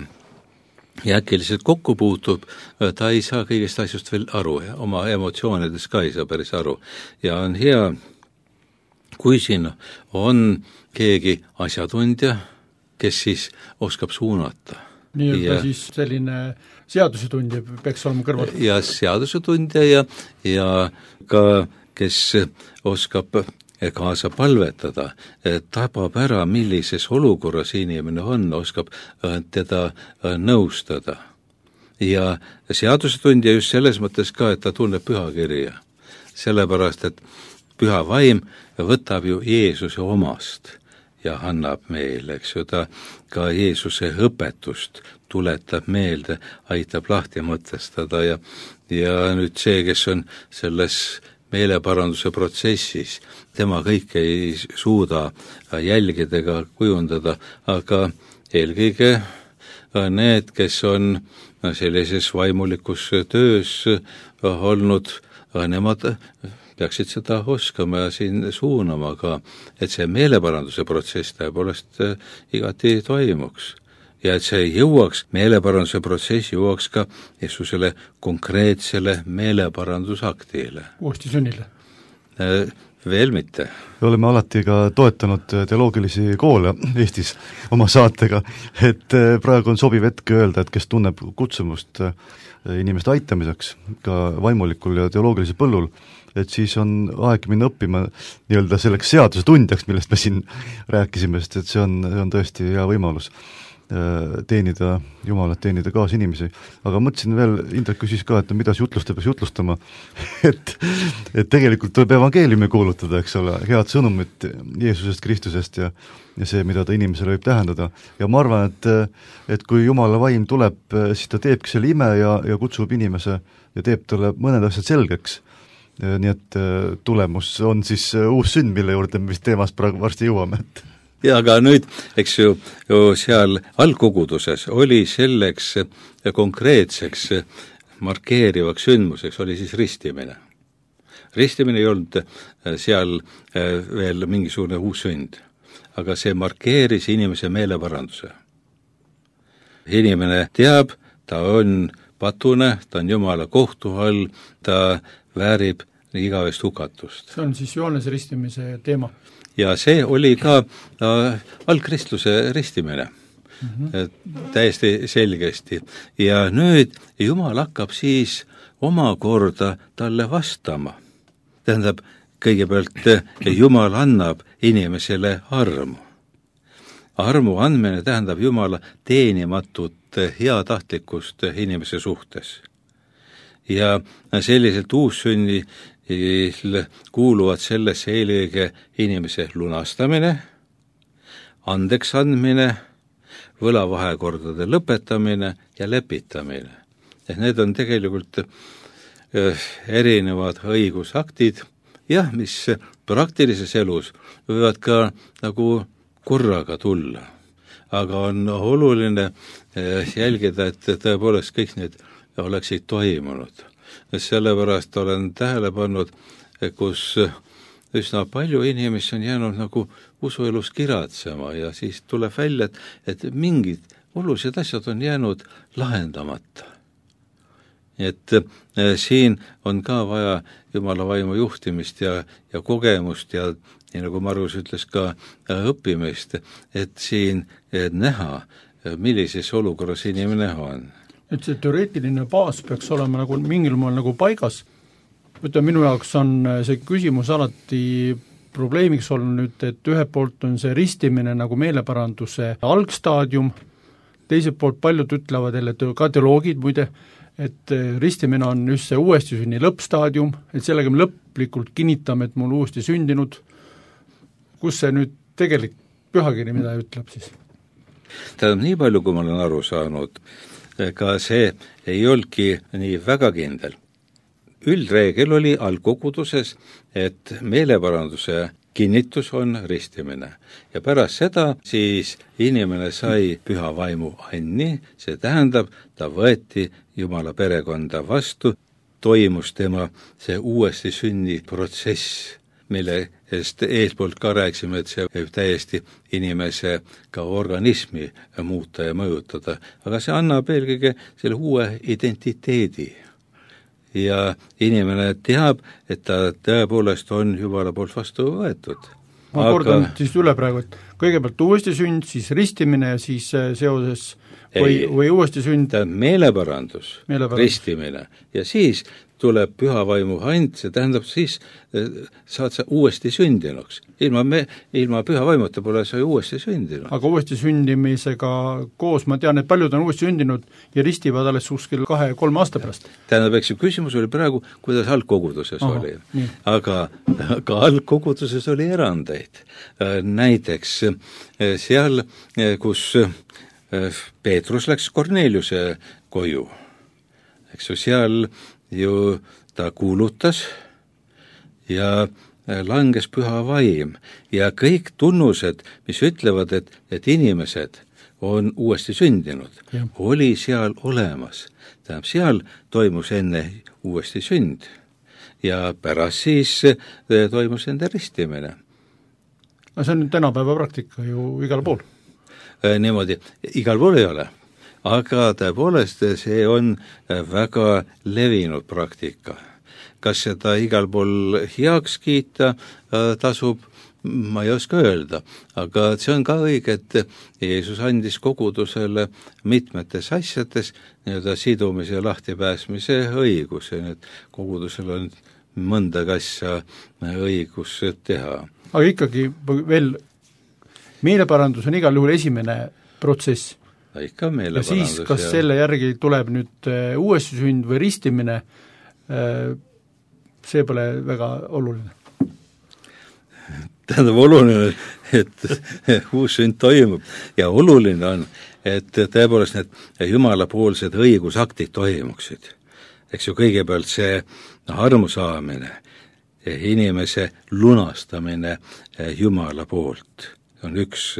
C: äkiliselt kokku puutub, ta ei saa kõigest asjust veel aru ja oma emotsioonides ka ei saa päris aru. Ja on hea, kui siin on keegi asjatundja, kes siis oskab suunata.
B: Nii-öelda siis selline seadusetundja peaks olema kõrval.
C: Ja seadusetundja ja ka, kes oskab kaasa palvetada, tabab ära, millises olukorras inimene on, oskab teda nõustada. Ja seadusetundja just selles mõttes ka, et ta tunneb pühakirja. Sellepärast, et püha vaim võtab ju Jeesuse omast ja annab meile, eks ju, ta ka Jeesuse õpetust tuletab meelde, aitab lahti mõtestada ja nüüd see, kes on selles meeleparanduse protsessis, tema kõike ei suuda jälgida ega kujundada, aga eelkõige need, kes on sellises vaimulikus töös olnud, nemad peaksid seda oskama ja siin suunama ka, et see meeleparanduse protsess tõepoolest igati toimuks. Ja et see jõuaks, meeleparanduse protsess jõuaks ka Jeesusele konkreetsele meeleparandusaktile.
B: Uuesti sünnile?
C: Veel mitte.
D: Me oleme alati ka toetanud teoloogilisi koole Eestis oma saatega, et praegu on sobiv hetk öelda, et kes tunneb kutsumust inimeste aitamiseks ka vaimulikul ja teoloogilisel põllul, et siis on aeg minna õppima nii-öelda selleks seaduse tundjaks, millest me siin rääkisime, sest et see on tõesti hea võimalus teenida Jumalat, teenida kaas inimesi. Aga mõtlesin veel, Indrek küsis ka, et mida see jutlustaja peaks jutlustama, et tegelikult tuleb evangeeliumi kuulutada, eks ole, head sõnumit Jeesusest Kristusest ja see, mida ta inimesele võib tähendada. Ja ma arvan, et kui Jumala vaim tuleb, siis ta teebki selle ime ja kutsub inimese ja teeb talle mõned asjad selgeks. Nii et tulemus on siis uus sünd, mille juurde me vist teemast praegu varsti jõuame.
C: Ja aga nüüd, eks ju seal algkoguduses oli selleks konkreetseks markeerivaks sündmuseks oli siis ristimine. Ristimine ei olnud seal veel mingisugune uus sünd, aga see markeeris inimese meeleparanduse. Inimene teab, ta on patune, ta on Jumala kohtu all, ta väärib igavest hukatust.
B: See on siis Johannese ristimise teema.
C: Ja see oli ka algkristluse ristimine, täiesti selgesti. Ja nüüd Jumal hakkab siis omakorda talle vastama. Tähendab, kõigepealt Jumal annab inimesele armu. Armu andmine tähendab Jumala teenimatut heatahtlikkust inimese suhtes. Ja selliselt uussünni kuuluvad sellesse eelkõige inimese lunastamine, andeks andmine, võlavahekordade lõpetamine ja lepitamine. Et need on tegelikult erinevad õigusaktid, jah, mis praktilises elus võivad ka nagu korraga tulla. Aga on oluline jälgida, et tõepoolest kõik need oleksid toimunud. Sellepärast olen tähele pannud, kus üsna palju inimesi on jäänud nagu usuelus kiratsema ja siis tuleb välja, et mingid olulised asjad on jäänud lahendamata. Et siin on ka vaja Jumala vaimu juhtimist ja kogemust ja nii nagu Margus ütles ka õppimist, et siin näha, millises olukorras inimene on.
B: Et see teoreetiline baas peaks olema nagu mingil moel nagu paigas. Minu jaoks on see küsimus alati probleemiks olnud nüüd, et ühelt poolt on see ristimine nagu meeleparanduse algstaadium, teiselt poolt paljud ütlevad jälle, ka teoloogid muide, et ristimine on just see uuesti sünni lõppstaadium, et sellega me lõplikult kinnitame, et mul uuesti sündinud. Kus see nüüd tegelik pühakiri, mida ütleb siis?
C: Tähendab, nii palju, kui ma olen aru saanud, ka see ei olnudki nii väga kindel. Üldreegel oli algkoguduses, et meeleparanduse kinnitus on ristimine ja pärast seda siis inimene sai püha vaimu anni, see tähendab, ta võeti Jumala perekonda vastu, toimus tema see uuesti sünni protsess, mille eespoolt ka rääkisime, et see võib täiesti inimese ka organismi muuta ja mõjutada, aga see annab eelkõige selle uue identiteedi. Ja inimene teab, et ta tõepoolest on Jumala poolt vastu võetud.
B: Ma kordan siis üle praegu, et kõigepealt uuesti sünd, siis ristimine ja siis seoses või uuesti sünd.
C: Meeleparandus, ristimine ja siis tuleb püha vaimu and, see tähendab siis saad sa uuesti sündinuks. Ilma püha vaimuta pole sa uuesti sündinud.
B: Aga uuesti sündimisega koos ma tean, et paljud on uuesti sündinud ja ristivad alles kuskil 2-3 aasta pärast.
C: Tähendab, eks küsimus oli praegu, kuidas algkoguduses oli. Aga algkoguduses oli erandeid. Näiteks seal, kus Peetrus läks Korneliuse koju, eks ju, seal ju ta kuulutas ja langes püha vaim ja kõik tunnused, mis ütlevad, et inimesed on uuesti sündinud, oli seal olemas. Tähendab, seal toimus enne uuesti sünd ja pärast siis toimus enda ristimine.
B: No see on tänapäeva praktika ju igal pool.
C: Niimoodi, igal pool ei ole. Aga tõepoolest see on väga levinud praktika. Kas seda igal pool heaks kiita tasub, ma ei oska öelda, aga see on ka õige, et Jeesus andis kogudusele mitmetes asjades nii-öelda sidumise ja lahtipääsmise õiguse, nii et kogudusel on mõnda asja õigus teha.
B: Aga ikkagi veel meeleparandus on igal juhul esimene protsess.
C: Ikka
B: ja siis, kas selle järgi tuleb nüüd uuesti sünd või ristimine, see pole väga oluline.
C: Tähendab, oluline, et uus sünd toimub ja oluline on, et tõepoolest need jumalapoolsed õigusaktid toimuksid. Eks ju kõigepealt see armu saamine, inimese lunastamine Jumala poolt on üks,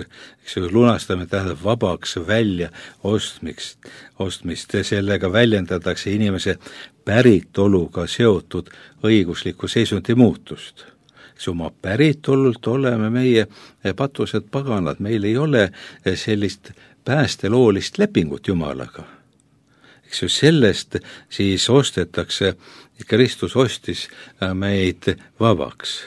C: eks ju, lunastamine tähendab vabaks välja ostmist, sellega väljendatakse inimese päritoluga seotud õigusliku seisundi muutust. Eks oma päritolult oleme meie patused paganad, meil ei ole sellist päästeloolist lepingut Jumalaga. Eks ju, sellest siis ostetakse, Kristus ostis meid vabaks.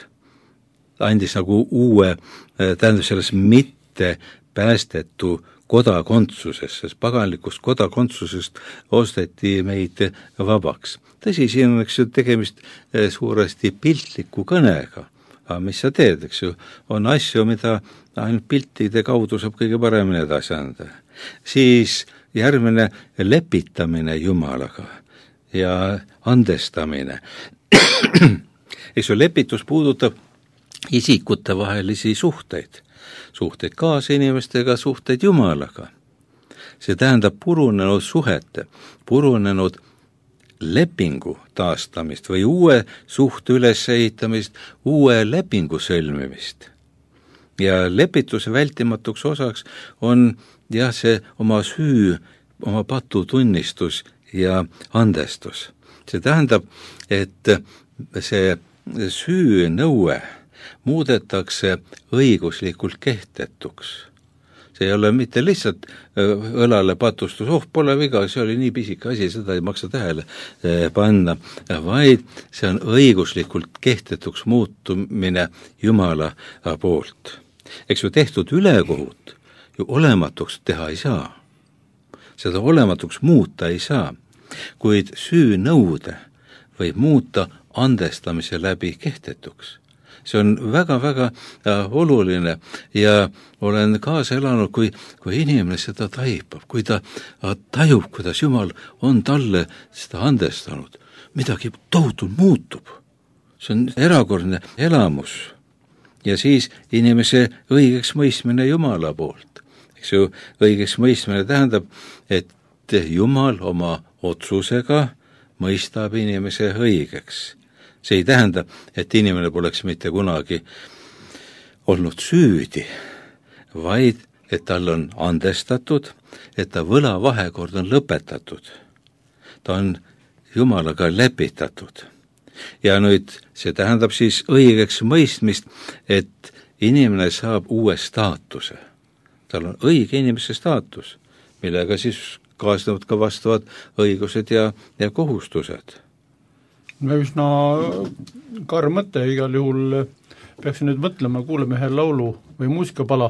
C: Andis nagu uue, tähendab selles mitte päästetu kodakondsusest, sest paganlikust kodakondsusest osteti meid vabaks. Tõsi, siin on eks ju tegemist suuresti piltliku kõnega, aga mis sa teed, eks ju, on asju, mida ainult piltide kaudu saab kõige paremini edasi anda. Siis järgmine lepitamine Jumalaga ja andestamine. Eks ju, lepitus puudutab isikute vahelisi suhteid kaasinimestega, suhteid Jumalaga. See tähendab purunenud suhete, purunenud lepingu taastamist või uue suhte ülesehitamist, uue lepingu sõlmimist. Ja lepituse vältimatuks osaks on jah, see oma süü, oma patu tunnistus ja andestus. See tähendab, et see süü nõue muudetakse õiguslikult kehtetuks. See ei ole mitte lihtsalt õlale patustus, pole viga, see oli nii pisike asi, seda ei maksa tähele panna, vaid see on õiguslikult kehtetuks muutumine Jumala poolt. Eks ju tehtud ülekohut ju olematuks teha ei saa. Seda olematuks muuta ei saa, kuid süü nõude võib muuta andestamise läbi kehtetuks. see on väga-väga oluline ja olen kaasa elanud, kui inimene seda taipab, kui ta tajub, kuidas Jumal on talle seda andestanud, midagi tohutult muutub. See on erakordne elamus ja siis inimese õigeks mõistmine Jumala poolt. Eks ju, õigeks mõistmine tähendab, et Jumal oma otsusega mõistab inimese õigeks. See ei tähenda, et inimene poleks mitte kunagi olnud süüdi, vaid et tal on andestatud, et ta võlavahekord on lõpetatud. Ta on Jumalaga lepitatud. Ja nüüd see tähendab siis õigeks mõistmist, et inimene saab uue staatuse. Tal on õige inimese staatus, millega siis kaasnevad ka vastavad õigused ja kohustused.
B: Üsna karm mõte, igal juhul peaksin nüüd mõtlema, kuuleme ühe laulu või muusikapala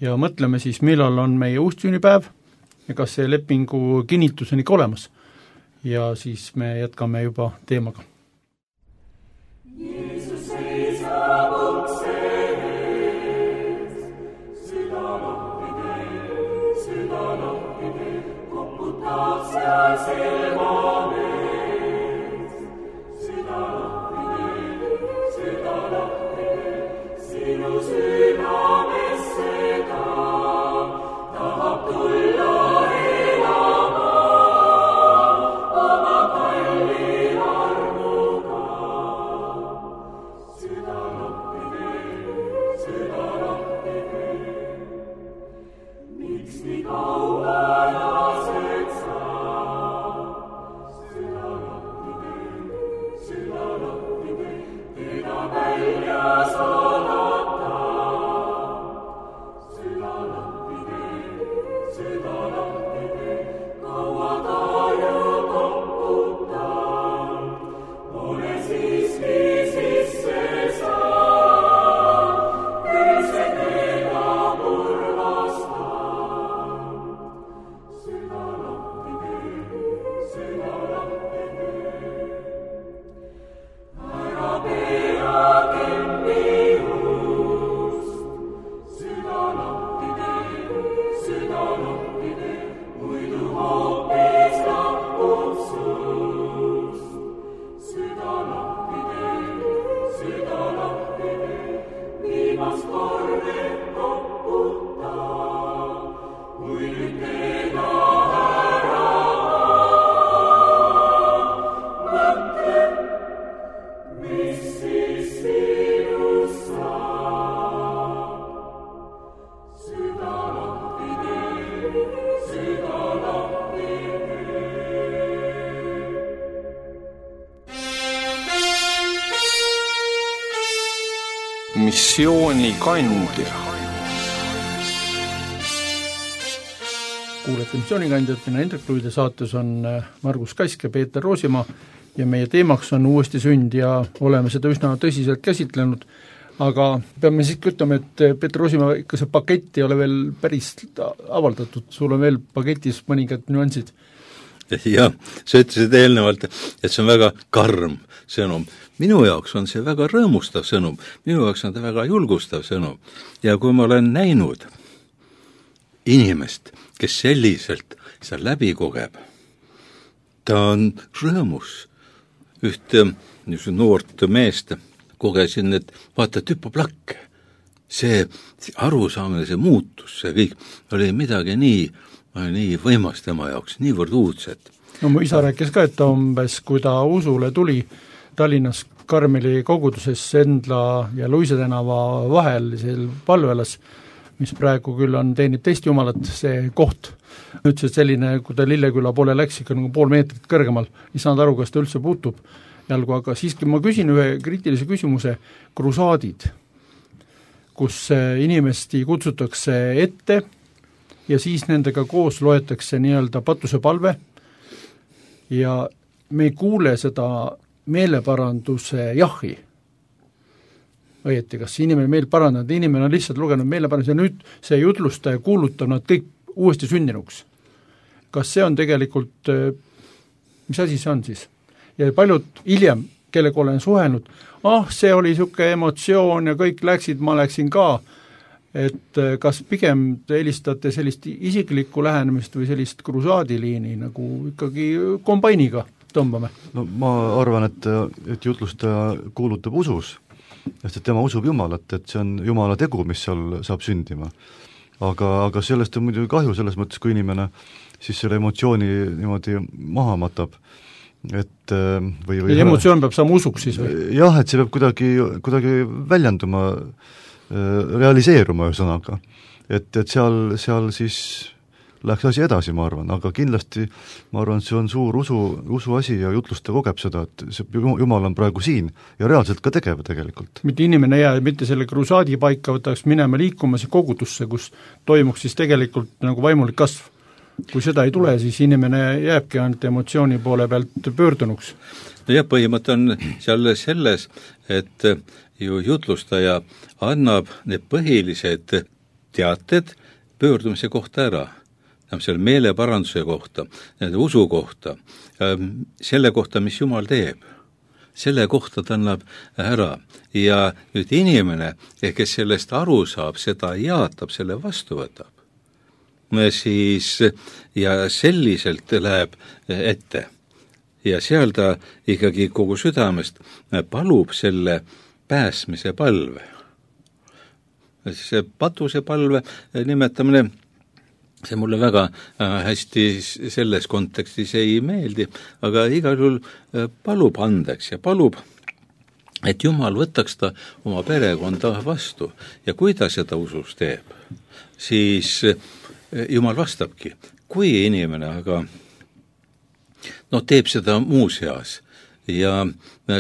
B: ja mõtleme siis, millal on meie uustsünnipäev ja kas see lepingu kinnitus on ikka olemas. Ja siis me jätkame juba teemaga.
E: Jeesus seisab ukse ees, süda lahti teeb, koputab seal silma ees. Süda lahti teeb, sinu südamesse tahab tulla elama oma kalli armuga. Süda lahti teeb, miks nii kaua lased sa? Süda lahti teeb, teda välja saadata. Süda lahti teeb, kaua ta ju koputab, pole siiski sisse saa, küll see teda kurvastab. Süda lahti teeb, ära pea kinni ust. Süda lahti teeb, muidu hoopis lahkub sust. Süda lahti teeb, viimast korda koputab, kui nüüd teda ära mõtle, mis siis sinust saab. Süda lahti teeb.
A: Missioonikandja.
B: Kuulete missioonikandjat, mina Hendrik Luide, saates on Margus Kask ja Peeter Roosimaa ja meie teemaks on uuesti sünd ja oleme seda üsna tõsiselt käsitlenud, aga peame siiski ütlema, et Peeter Roosimaa, ikka see pakett ei ole veel päris avaldatud, sul on veel paketis mõningad nüansid.
C: Jah, sa ütlesid eelnevalt, et see on väga karm sõnum. Minu jaoks on see väga rõõmustav sõnum, minu jaoks on ta väga julgustav sõnum. Ja kui ma olen näinud inimest, kes selliselt seda läbi kogeb, ta on rõõmus. Ühte noort meest kogesin, et vaata, tüpaplakk. See arusaamine, see muutus, see kõik oli midagi nii võimas tema jaoks, niivõrd uudset.
B: No mu isa rääkis ka, et umbes, kui ta usule tuli Tallinnas Karmeli koguduses Endla ja Luise tänava vahel, seal Palvelas, mis praegu küll teenib teist jumalat, see koht, ütles, et selline, kui ta Lilleküla poole läks ikka nagu 0,5 meetrit kõrgemal, ei saanud aru, kas ta üldse puutub jalgu, aga siiski ma küsin ühe kriitilise küsimuse, krusaadid, kus inimesti kutsutakse ette ja siis nendega koos loetakse nii-öelda patusepalve ja me ei kuule seda meeleparanduse jahi. Õieti, kas inimene meil parandanud, inimene on lihtsalt lugenud meeleparanduse ja nüüd see jutlustaja kuulutab nad kõik uuesti sündinuks. Kas see on tegelikult, mis asi see on siis? Ja paljud hiljem, kellega olen suhelnud, see oli niisugune emotsioon ja kõik läksid, ma läksin ka, et kas pigem te helistate sellist isiklikku lähenemist või sellist krusaadiliini nagu ikkagi kombainiga tõmbame?
D: No ma arvan, et jutlustaja kuulutab usus, sest et tema usub Jumalat, et see on Jumala tegu, mis seal saab sündima. Aga sellest on muidugi kahju, selles mõttes, kui inimene siis selle emotsiooni niimoodi maha matab, et või
B: emotsioon peab saama usuks siis või?
D: Jah, et see peab kuidagi väljenduma, realiseeruma ühesõnaga. Et seal siis läheks asi edasi, ma arvan, aga kindlasti ma arvan, see on suur usu asi ja jutlustaja kogeb seda, et see Jumal on praegu siin ja reaalselt ka tegev tegelikult.
B: Mitte inimene jää, mitte selle krusaadi paika võtaks minema liikumas kogudusse, kus toimuks siis tegelikult nagu vaimulik kasv. Kui seda ei tule, siis inimene jääbki ainult emotsiooni poole pealt pöördunuks.
C: Ja põhimõte on seal selles, et ju jutlustaja annab need põhilised teated pöördumise kohta ära. Selle meeleparanduse kohta, nende usu kohta, selle kohta, mis Jumal teeb. Selle kohta ta annab ära. Ja nüüd inimene, kes sellest aru saab, seda jaatab, selle vastu võtab. Siis ja selliselt läheb ette ja seal ta ikkagi kogu südamest palub selle pääsmise palve. See patuse palve nimetamine, see mulle väga hästi selles kontekstis ei meeldi, aga igal juhul palub andeks ja palub, et Jumal võtaks ta oma perekonda vastu ja kui ta seda usus teeb, siis Jumal vastabki, kui inimene aga teeb seda muus heas ja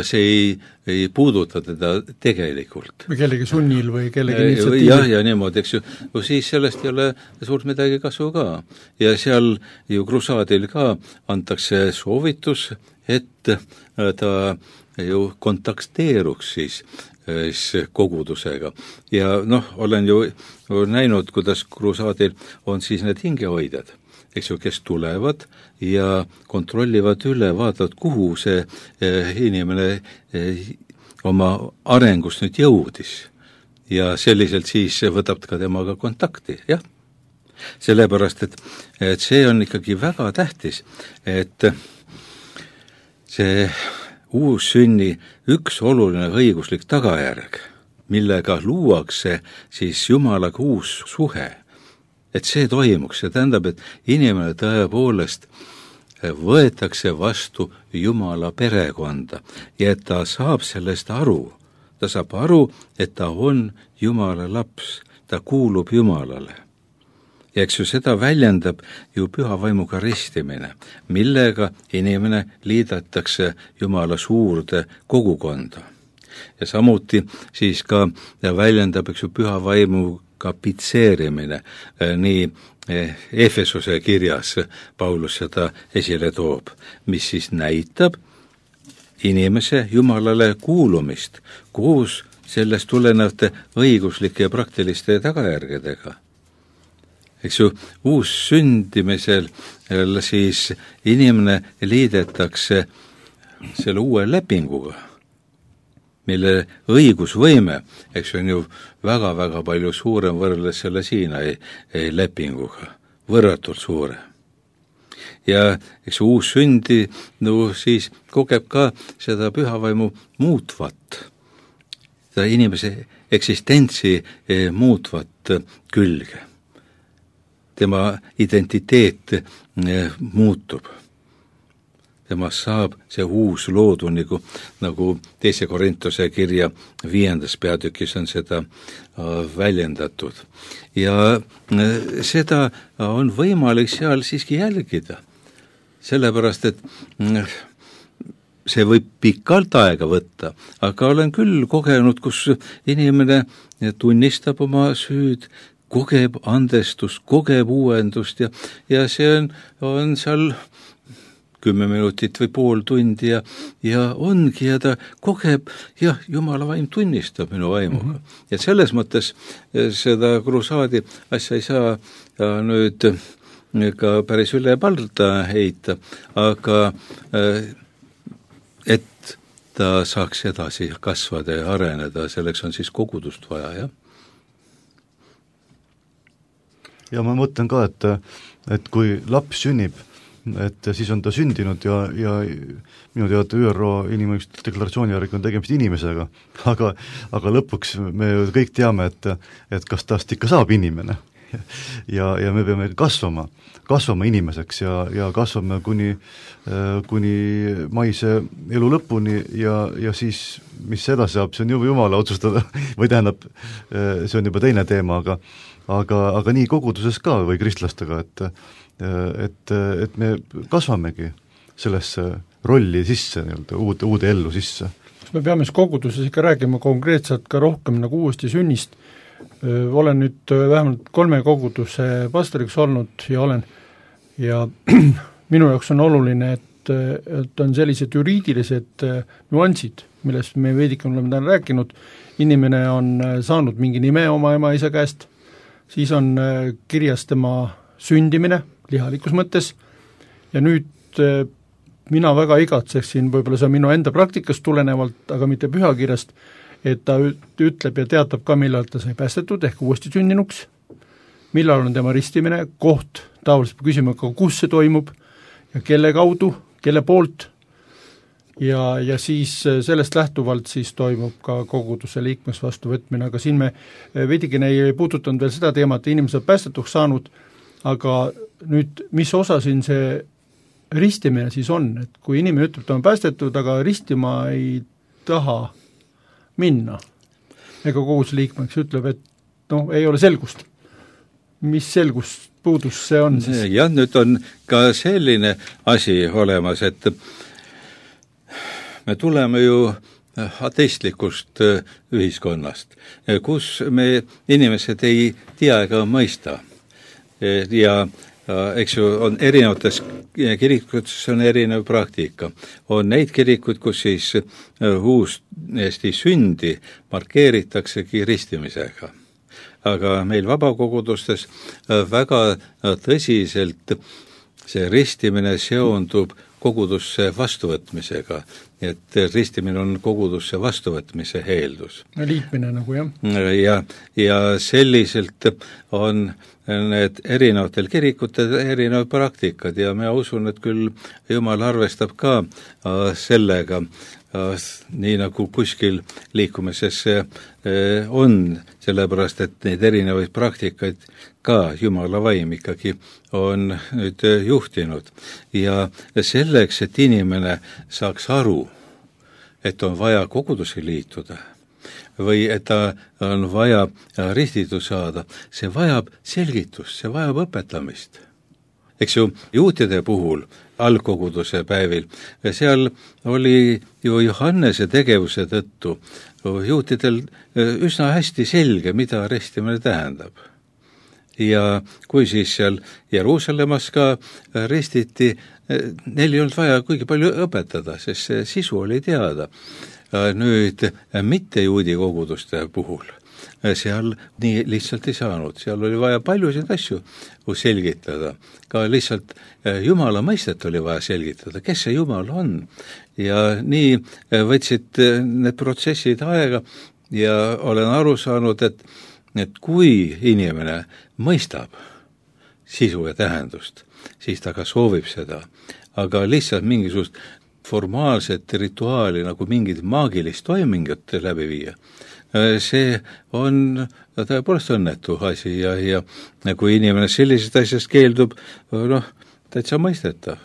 C: see ei puuduta teda tegelikult.
B: Või kellegi sunnil või kellegi initsiatiivi.
C: Ja niimoodi, eks ju, siis sellest ei ole suurt midagi kasu ka. Ja seal ju krusaadil ka antakse soovitus, et ta ju kontakteeruks siis kogudusega. Ja olen ju näinud, kuidas krusaadil on siis need hingehoidjad, eks ju, kes tulevad ja kontrollivad üle, vaatavad, kuhu see inimene oma arengust nüüd jõudis. Ja selliselt siis võtab ka temaga kontakti, jah. Sellepärast, et see on ikkagi väga tähtis, et see uussünni üks oluline õiguslik tagajärg, millega luuakse siis Jumalaga uus suhe, et see toimuks, see tähendab, et inimene tõepoolest võetakse vastu Jumala perekonda ja et ta saab sellest aru. Ta saab aru, et ta on Jumala laps, ta kuulub Jumalale. Ja eks ju seda väljendab ju püha vaimuga ristimine, millega inimene liidetakse Jumala suurde kogukonda. Ja samuti siis ka väljendab eks ju püha vaimuga pitseerimine, nii Efesuse kirjas Paulus seda esile toob, mis siis näitab inimese Jumalale kuulumist, koos sellest tulenevate õiguslike ja praktiliste tagajärgedega. Eks ju, uus sündimisel siis inimene liidetakse selle uue lepinguga, mille õigusvõime, eks on ju väga-väga palju suurem võrreldes selle Siinai lepinguga, võrratult suure. Ja eks uus sündi siis kogeb ka seda pühavaimu muutvat, seda inimese eksistentsi muutvat külge. Tema identiteet muutub. Temast saab see uus loodu, nagu 2. Korintuse kirja 5. peatükis on seda väljendatud. Ja seda on võimalik seal siiski jälgida, sellepärast, et see võib pikalt aega võtta, aga olen küll kogenud, kus inimene tunnistab oma süüd, kogeb andestust, kogeb uuendust ja see on seal 10 minutit või pool tundi ja ongi ja ta kogeb, jah, Jumala vaim tunnistab minu vaimuga. Ja selles mõttes seda krusaadi asja ei saa nüüd ka päris üle palda heita, aga et ta saaks edasi kasvada ja areneda, selleks on siis kogudust vaja, jah.
D: Ja ma mõtlen ka, et kui laps sünnib, et siis on ta sündinud ja minu teada ÜRO inimõiguste deklaratsiooni järgi on tegemist inimesega, aga lõpuks me kõik teame, et kas tast ikka saab inimene ja me peame kasvama inimeseks ja kasvame kuni maise elu lõpuni ja siis, mis edasi saab, see on juba Jumala otsustada või tähendab, see on juba teine teema, aga nii koguduses ka või kristlastega, et me kasvamegi sellesse rolli sisse, uude ellu sisse.
B: Me peame siis koguduses ikka räägima konkreetselt ka rohkem nagu uuesti sünnist. Olen nüüd vähemalt 3 koguduse pastoriks olnud ja minu jaoks on oluline, et on sellised juriidilised nüansid, millest me veidike oleme täna rääkinud. Inimene on saanud mingi nime oma ema-isa käest, siis on kirjas tema sündimine lihalikus mõttes ja nüüd mina väga igatseksin, võib-olla see on minu enda praktikast tulenevalt, aga mitte pühakirjast, et ta ütleb ja teatab ka, millal ta sai päästetud ehk uuesti sündinuks, millal on tema ristimine, koht, tavaliselt küsime ka, kus see toimub ja kelle kaudu, kelle poolt ja siis sellest lähtuvalt siis toimub ka koguduse liikmeks vastuvõtmine, aga siin me veidikene ei puudutanud veel seda teemat, inimesed on päästetuks saanud, aga nüüd, mis osa siin see ristimine siis on, et kui inimene ütleb, ta on päästetud, aga ristima ei taha minna, ega koguduse liikmeks ütleb, et ei ole selgust. Mis selgust puudus see on siis?
C: Jah, nüüd on ka selline asi olemas, et me tuleme ju ateistlikust ühiskonnast, kus me inimesed ei tea ega mõista. Ja eks ju on erinevates kirikutes on erinev praktika. On neid kirikuid, kus siis uuesti sündi markeeritaksegi ristimisega. Aga meil vabakogudustes väga tõsiselt see ristimine seondub kogudusse vastuvõtmisega, et ristimine on kogudusse vastuvõtmise eeldus.
B: Liitmine nagu, jah.
C: Ja selliselt on need erinevatel kirikutel erinevad praktikad ja ma usun, et küll Jumal arvestab ka sellega, nii nagu kuskil liikumises on, sellepärast, et neid erinevaid praktikaid ka Jumala vaim ikkagi on nüüd juhtinud. Ja selleks, et inimene saaks aru, et on vaja kogudusi liituda või et ta on vaja ristitud saada, see vajab selgitust, see vajab õpetamist. Eks ju, juutide puhul algkoguduse päevil, seal oli ju Johannese tegevuse tõttu juutidel üsna hästi selge, mida ristimine tähendab. Ja kui siis seal Jeruusalemmas ka ristiti, neil ei olnud vaja kuigi palju õpetada, sest see sisu oli teada. Nüüd mitte juudi koguduste puhul seal nii lihtsalt ei saanud, seal oli vaja paljusid asju selgitada, ka lihtsalt Jumala mõistet oli vaja selgitada, kes see Jumal on ja nii võtsid need protsessid aega ja olen aru saanud, et kui inimene mõistab sisu ja tähendust, siis ta ka soovib seda, aga lihtsalt mingisugust formaalset rituaali nagu mingid maagilist toimingut läbi viia, see on tõepoolest õnnetu asi ja kui inimene sellisest asjast keeldub, täitsa mõistetav.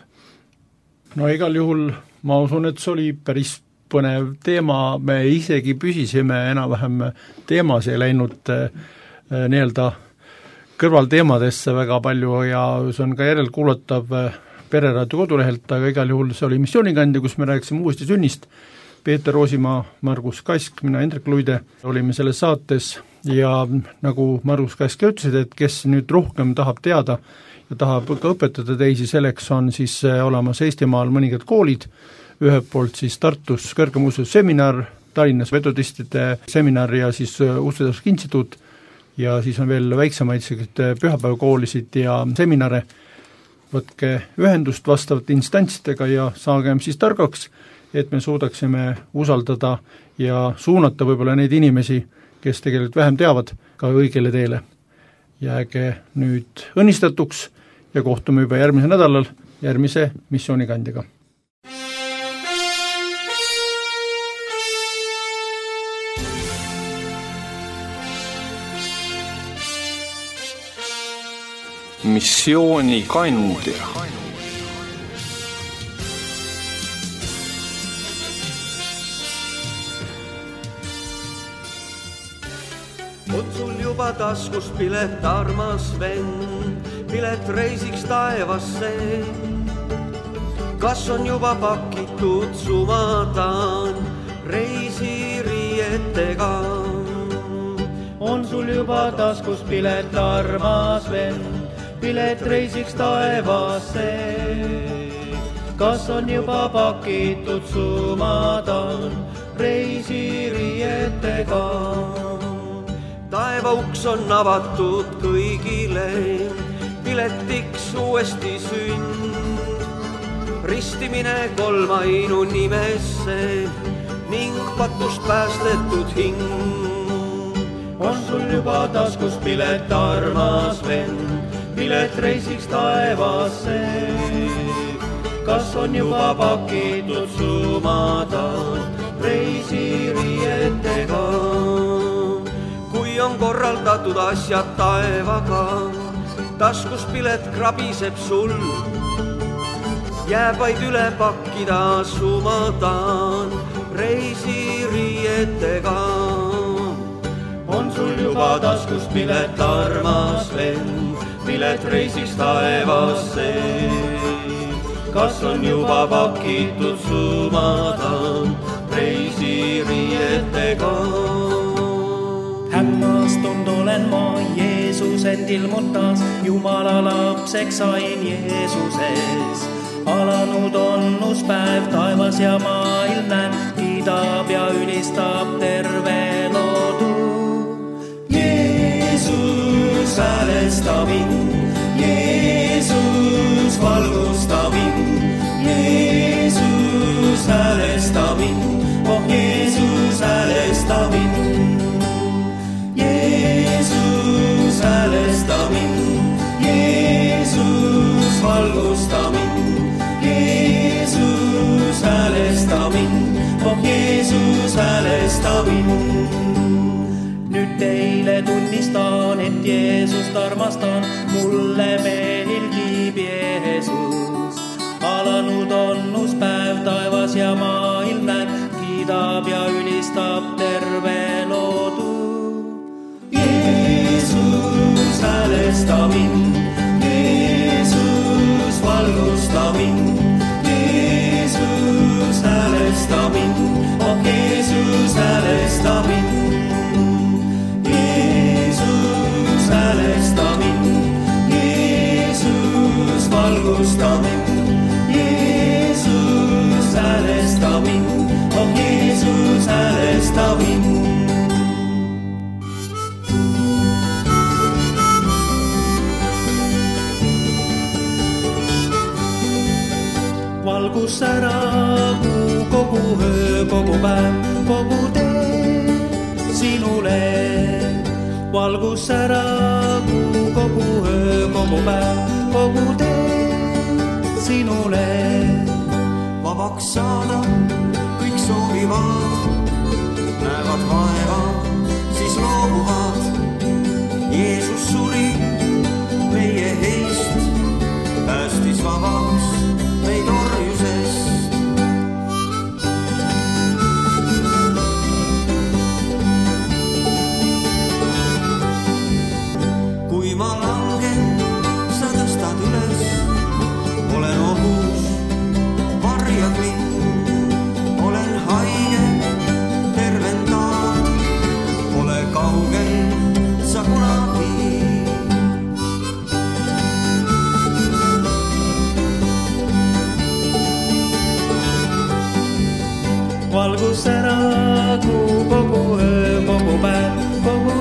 B: No igal juhul ma usun, et see oli päris põnev teema, me isegi püsisime enam-vähem teemas ja läinud nii-öelda kõrvalteemadesse väga palju ja see on ka järelkuulatav Pereraadio kodulehelt, aga igal juhul see oli missioonikandja, kus me rääkisime uuesti sünnist. Peeter Roosimaa, Margus Kask, mina Hendrik Luide olime selles saates ja nagu Margus Kask ütlesid, et kes nüüd rohkem tahab teada ja tahab ka õpetada teisi, selleks on siis olemas Eestimaal mõningad koolid, ühelt poolt siis Tartus kõrgem ususeminar, Tallinnas metodistide seminar ja siis Usuteaduste Instituut ja siis on veel väiksemaid pühapäevakoolisid ja seminare. Võtke ühendust vastavate instantsidega ja saagem siis targaks et me suudaksime usaldada ja suunata võib-olla neid inimesi, kes tegelikult vähem teavad, ka õigele teele. Jääge nüüd õnnistatuks ja kohtume juba järgmisel nädalal järgmise missioonikandjaga.
A: Missioonikandja.
F: On sul juba taskus pilet, armas vend, pilet reisiks taevasse. Kas on juba pakitud sumadan reisiriietega?
G: On sul juba taskus pilet, armas vend, pilet reisiks taevasse. Kas on juba pakitud sumadan reisiriietega?
F: Taeva uks on avatud kõigile, piletiks uuesti sünd. Ristimine kolmainu nimesse ning patust päästetud hing.
G: On sul juba taskus pilet, armas vend, pilet reisiks taevasse. Kas on juba pakitud sumadan reisiriietega? Kui on korraldatud asjad taevaga, taskus pilet krabiseb sul. Jääb vaid üle pakkida sumadan reisiriietega. On sul juba taskus pilet, armas vend, pilet reisiks taevasse. Kas on juba pakitud sumadan reisiriietega? Hämmastunud olen ma, Jeesus end ilmutas, Jumala lapseks sain Jeesuses. Alanud on uspäev, taevas ja maailm näen, kiidab ja ülistab terve loodu. Jeesus häälesta mind, Jeesus valgusta mind, Jeesus häälesta mind, oh Jeesus häälesta mind. Jeesus häälesta mind, Jeesus valgusta mind, Jeesus häälesta mind, oh Jeesus häälesta mind. Nüüd teile tunnistan, et Jeesust armastan, mulle meeldib Jeesus. Alanud on uspäev, taevas ja maailm näen, kiidab ja ülistab terve loodu. Jeesus häälesta mind, Jeesus valgusta mind, Jeesus häälesta mind, oh Jeesus häälesta mind. Jeesus häälesta mind, Jeesus valgusta mind, Jeesus häälesta mind, oh Jeesus häälesta mind. Valgus säragu kogu öö, kogu päev, kogu tee sinule. Valgus säragu kogu öö, kogu päev, kogu tee sinule.
F: Vabaks saada kõik soovivad, näevad vaeva, siis loobuvad. Jeesus suri meie heist, päästis vabaks meid orjusest. Kui ma langen, sa tõstad üles, olen ohus, varjad mind, olen haige, tervendan, pole kaugel sa kunagi. Valgus säragu kogu öö, kogu päev, kogu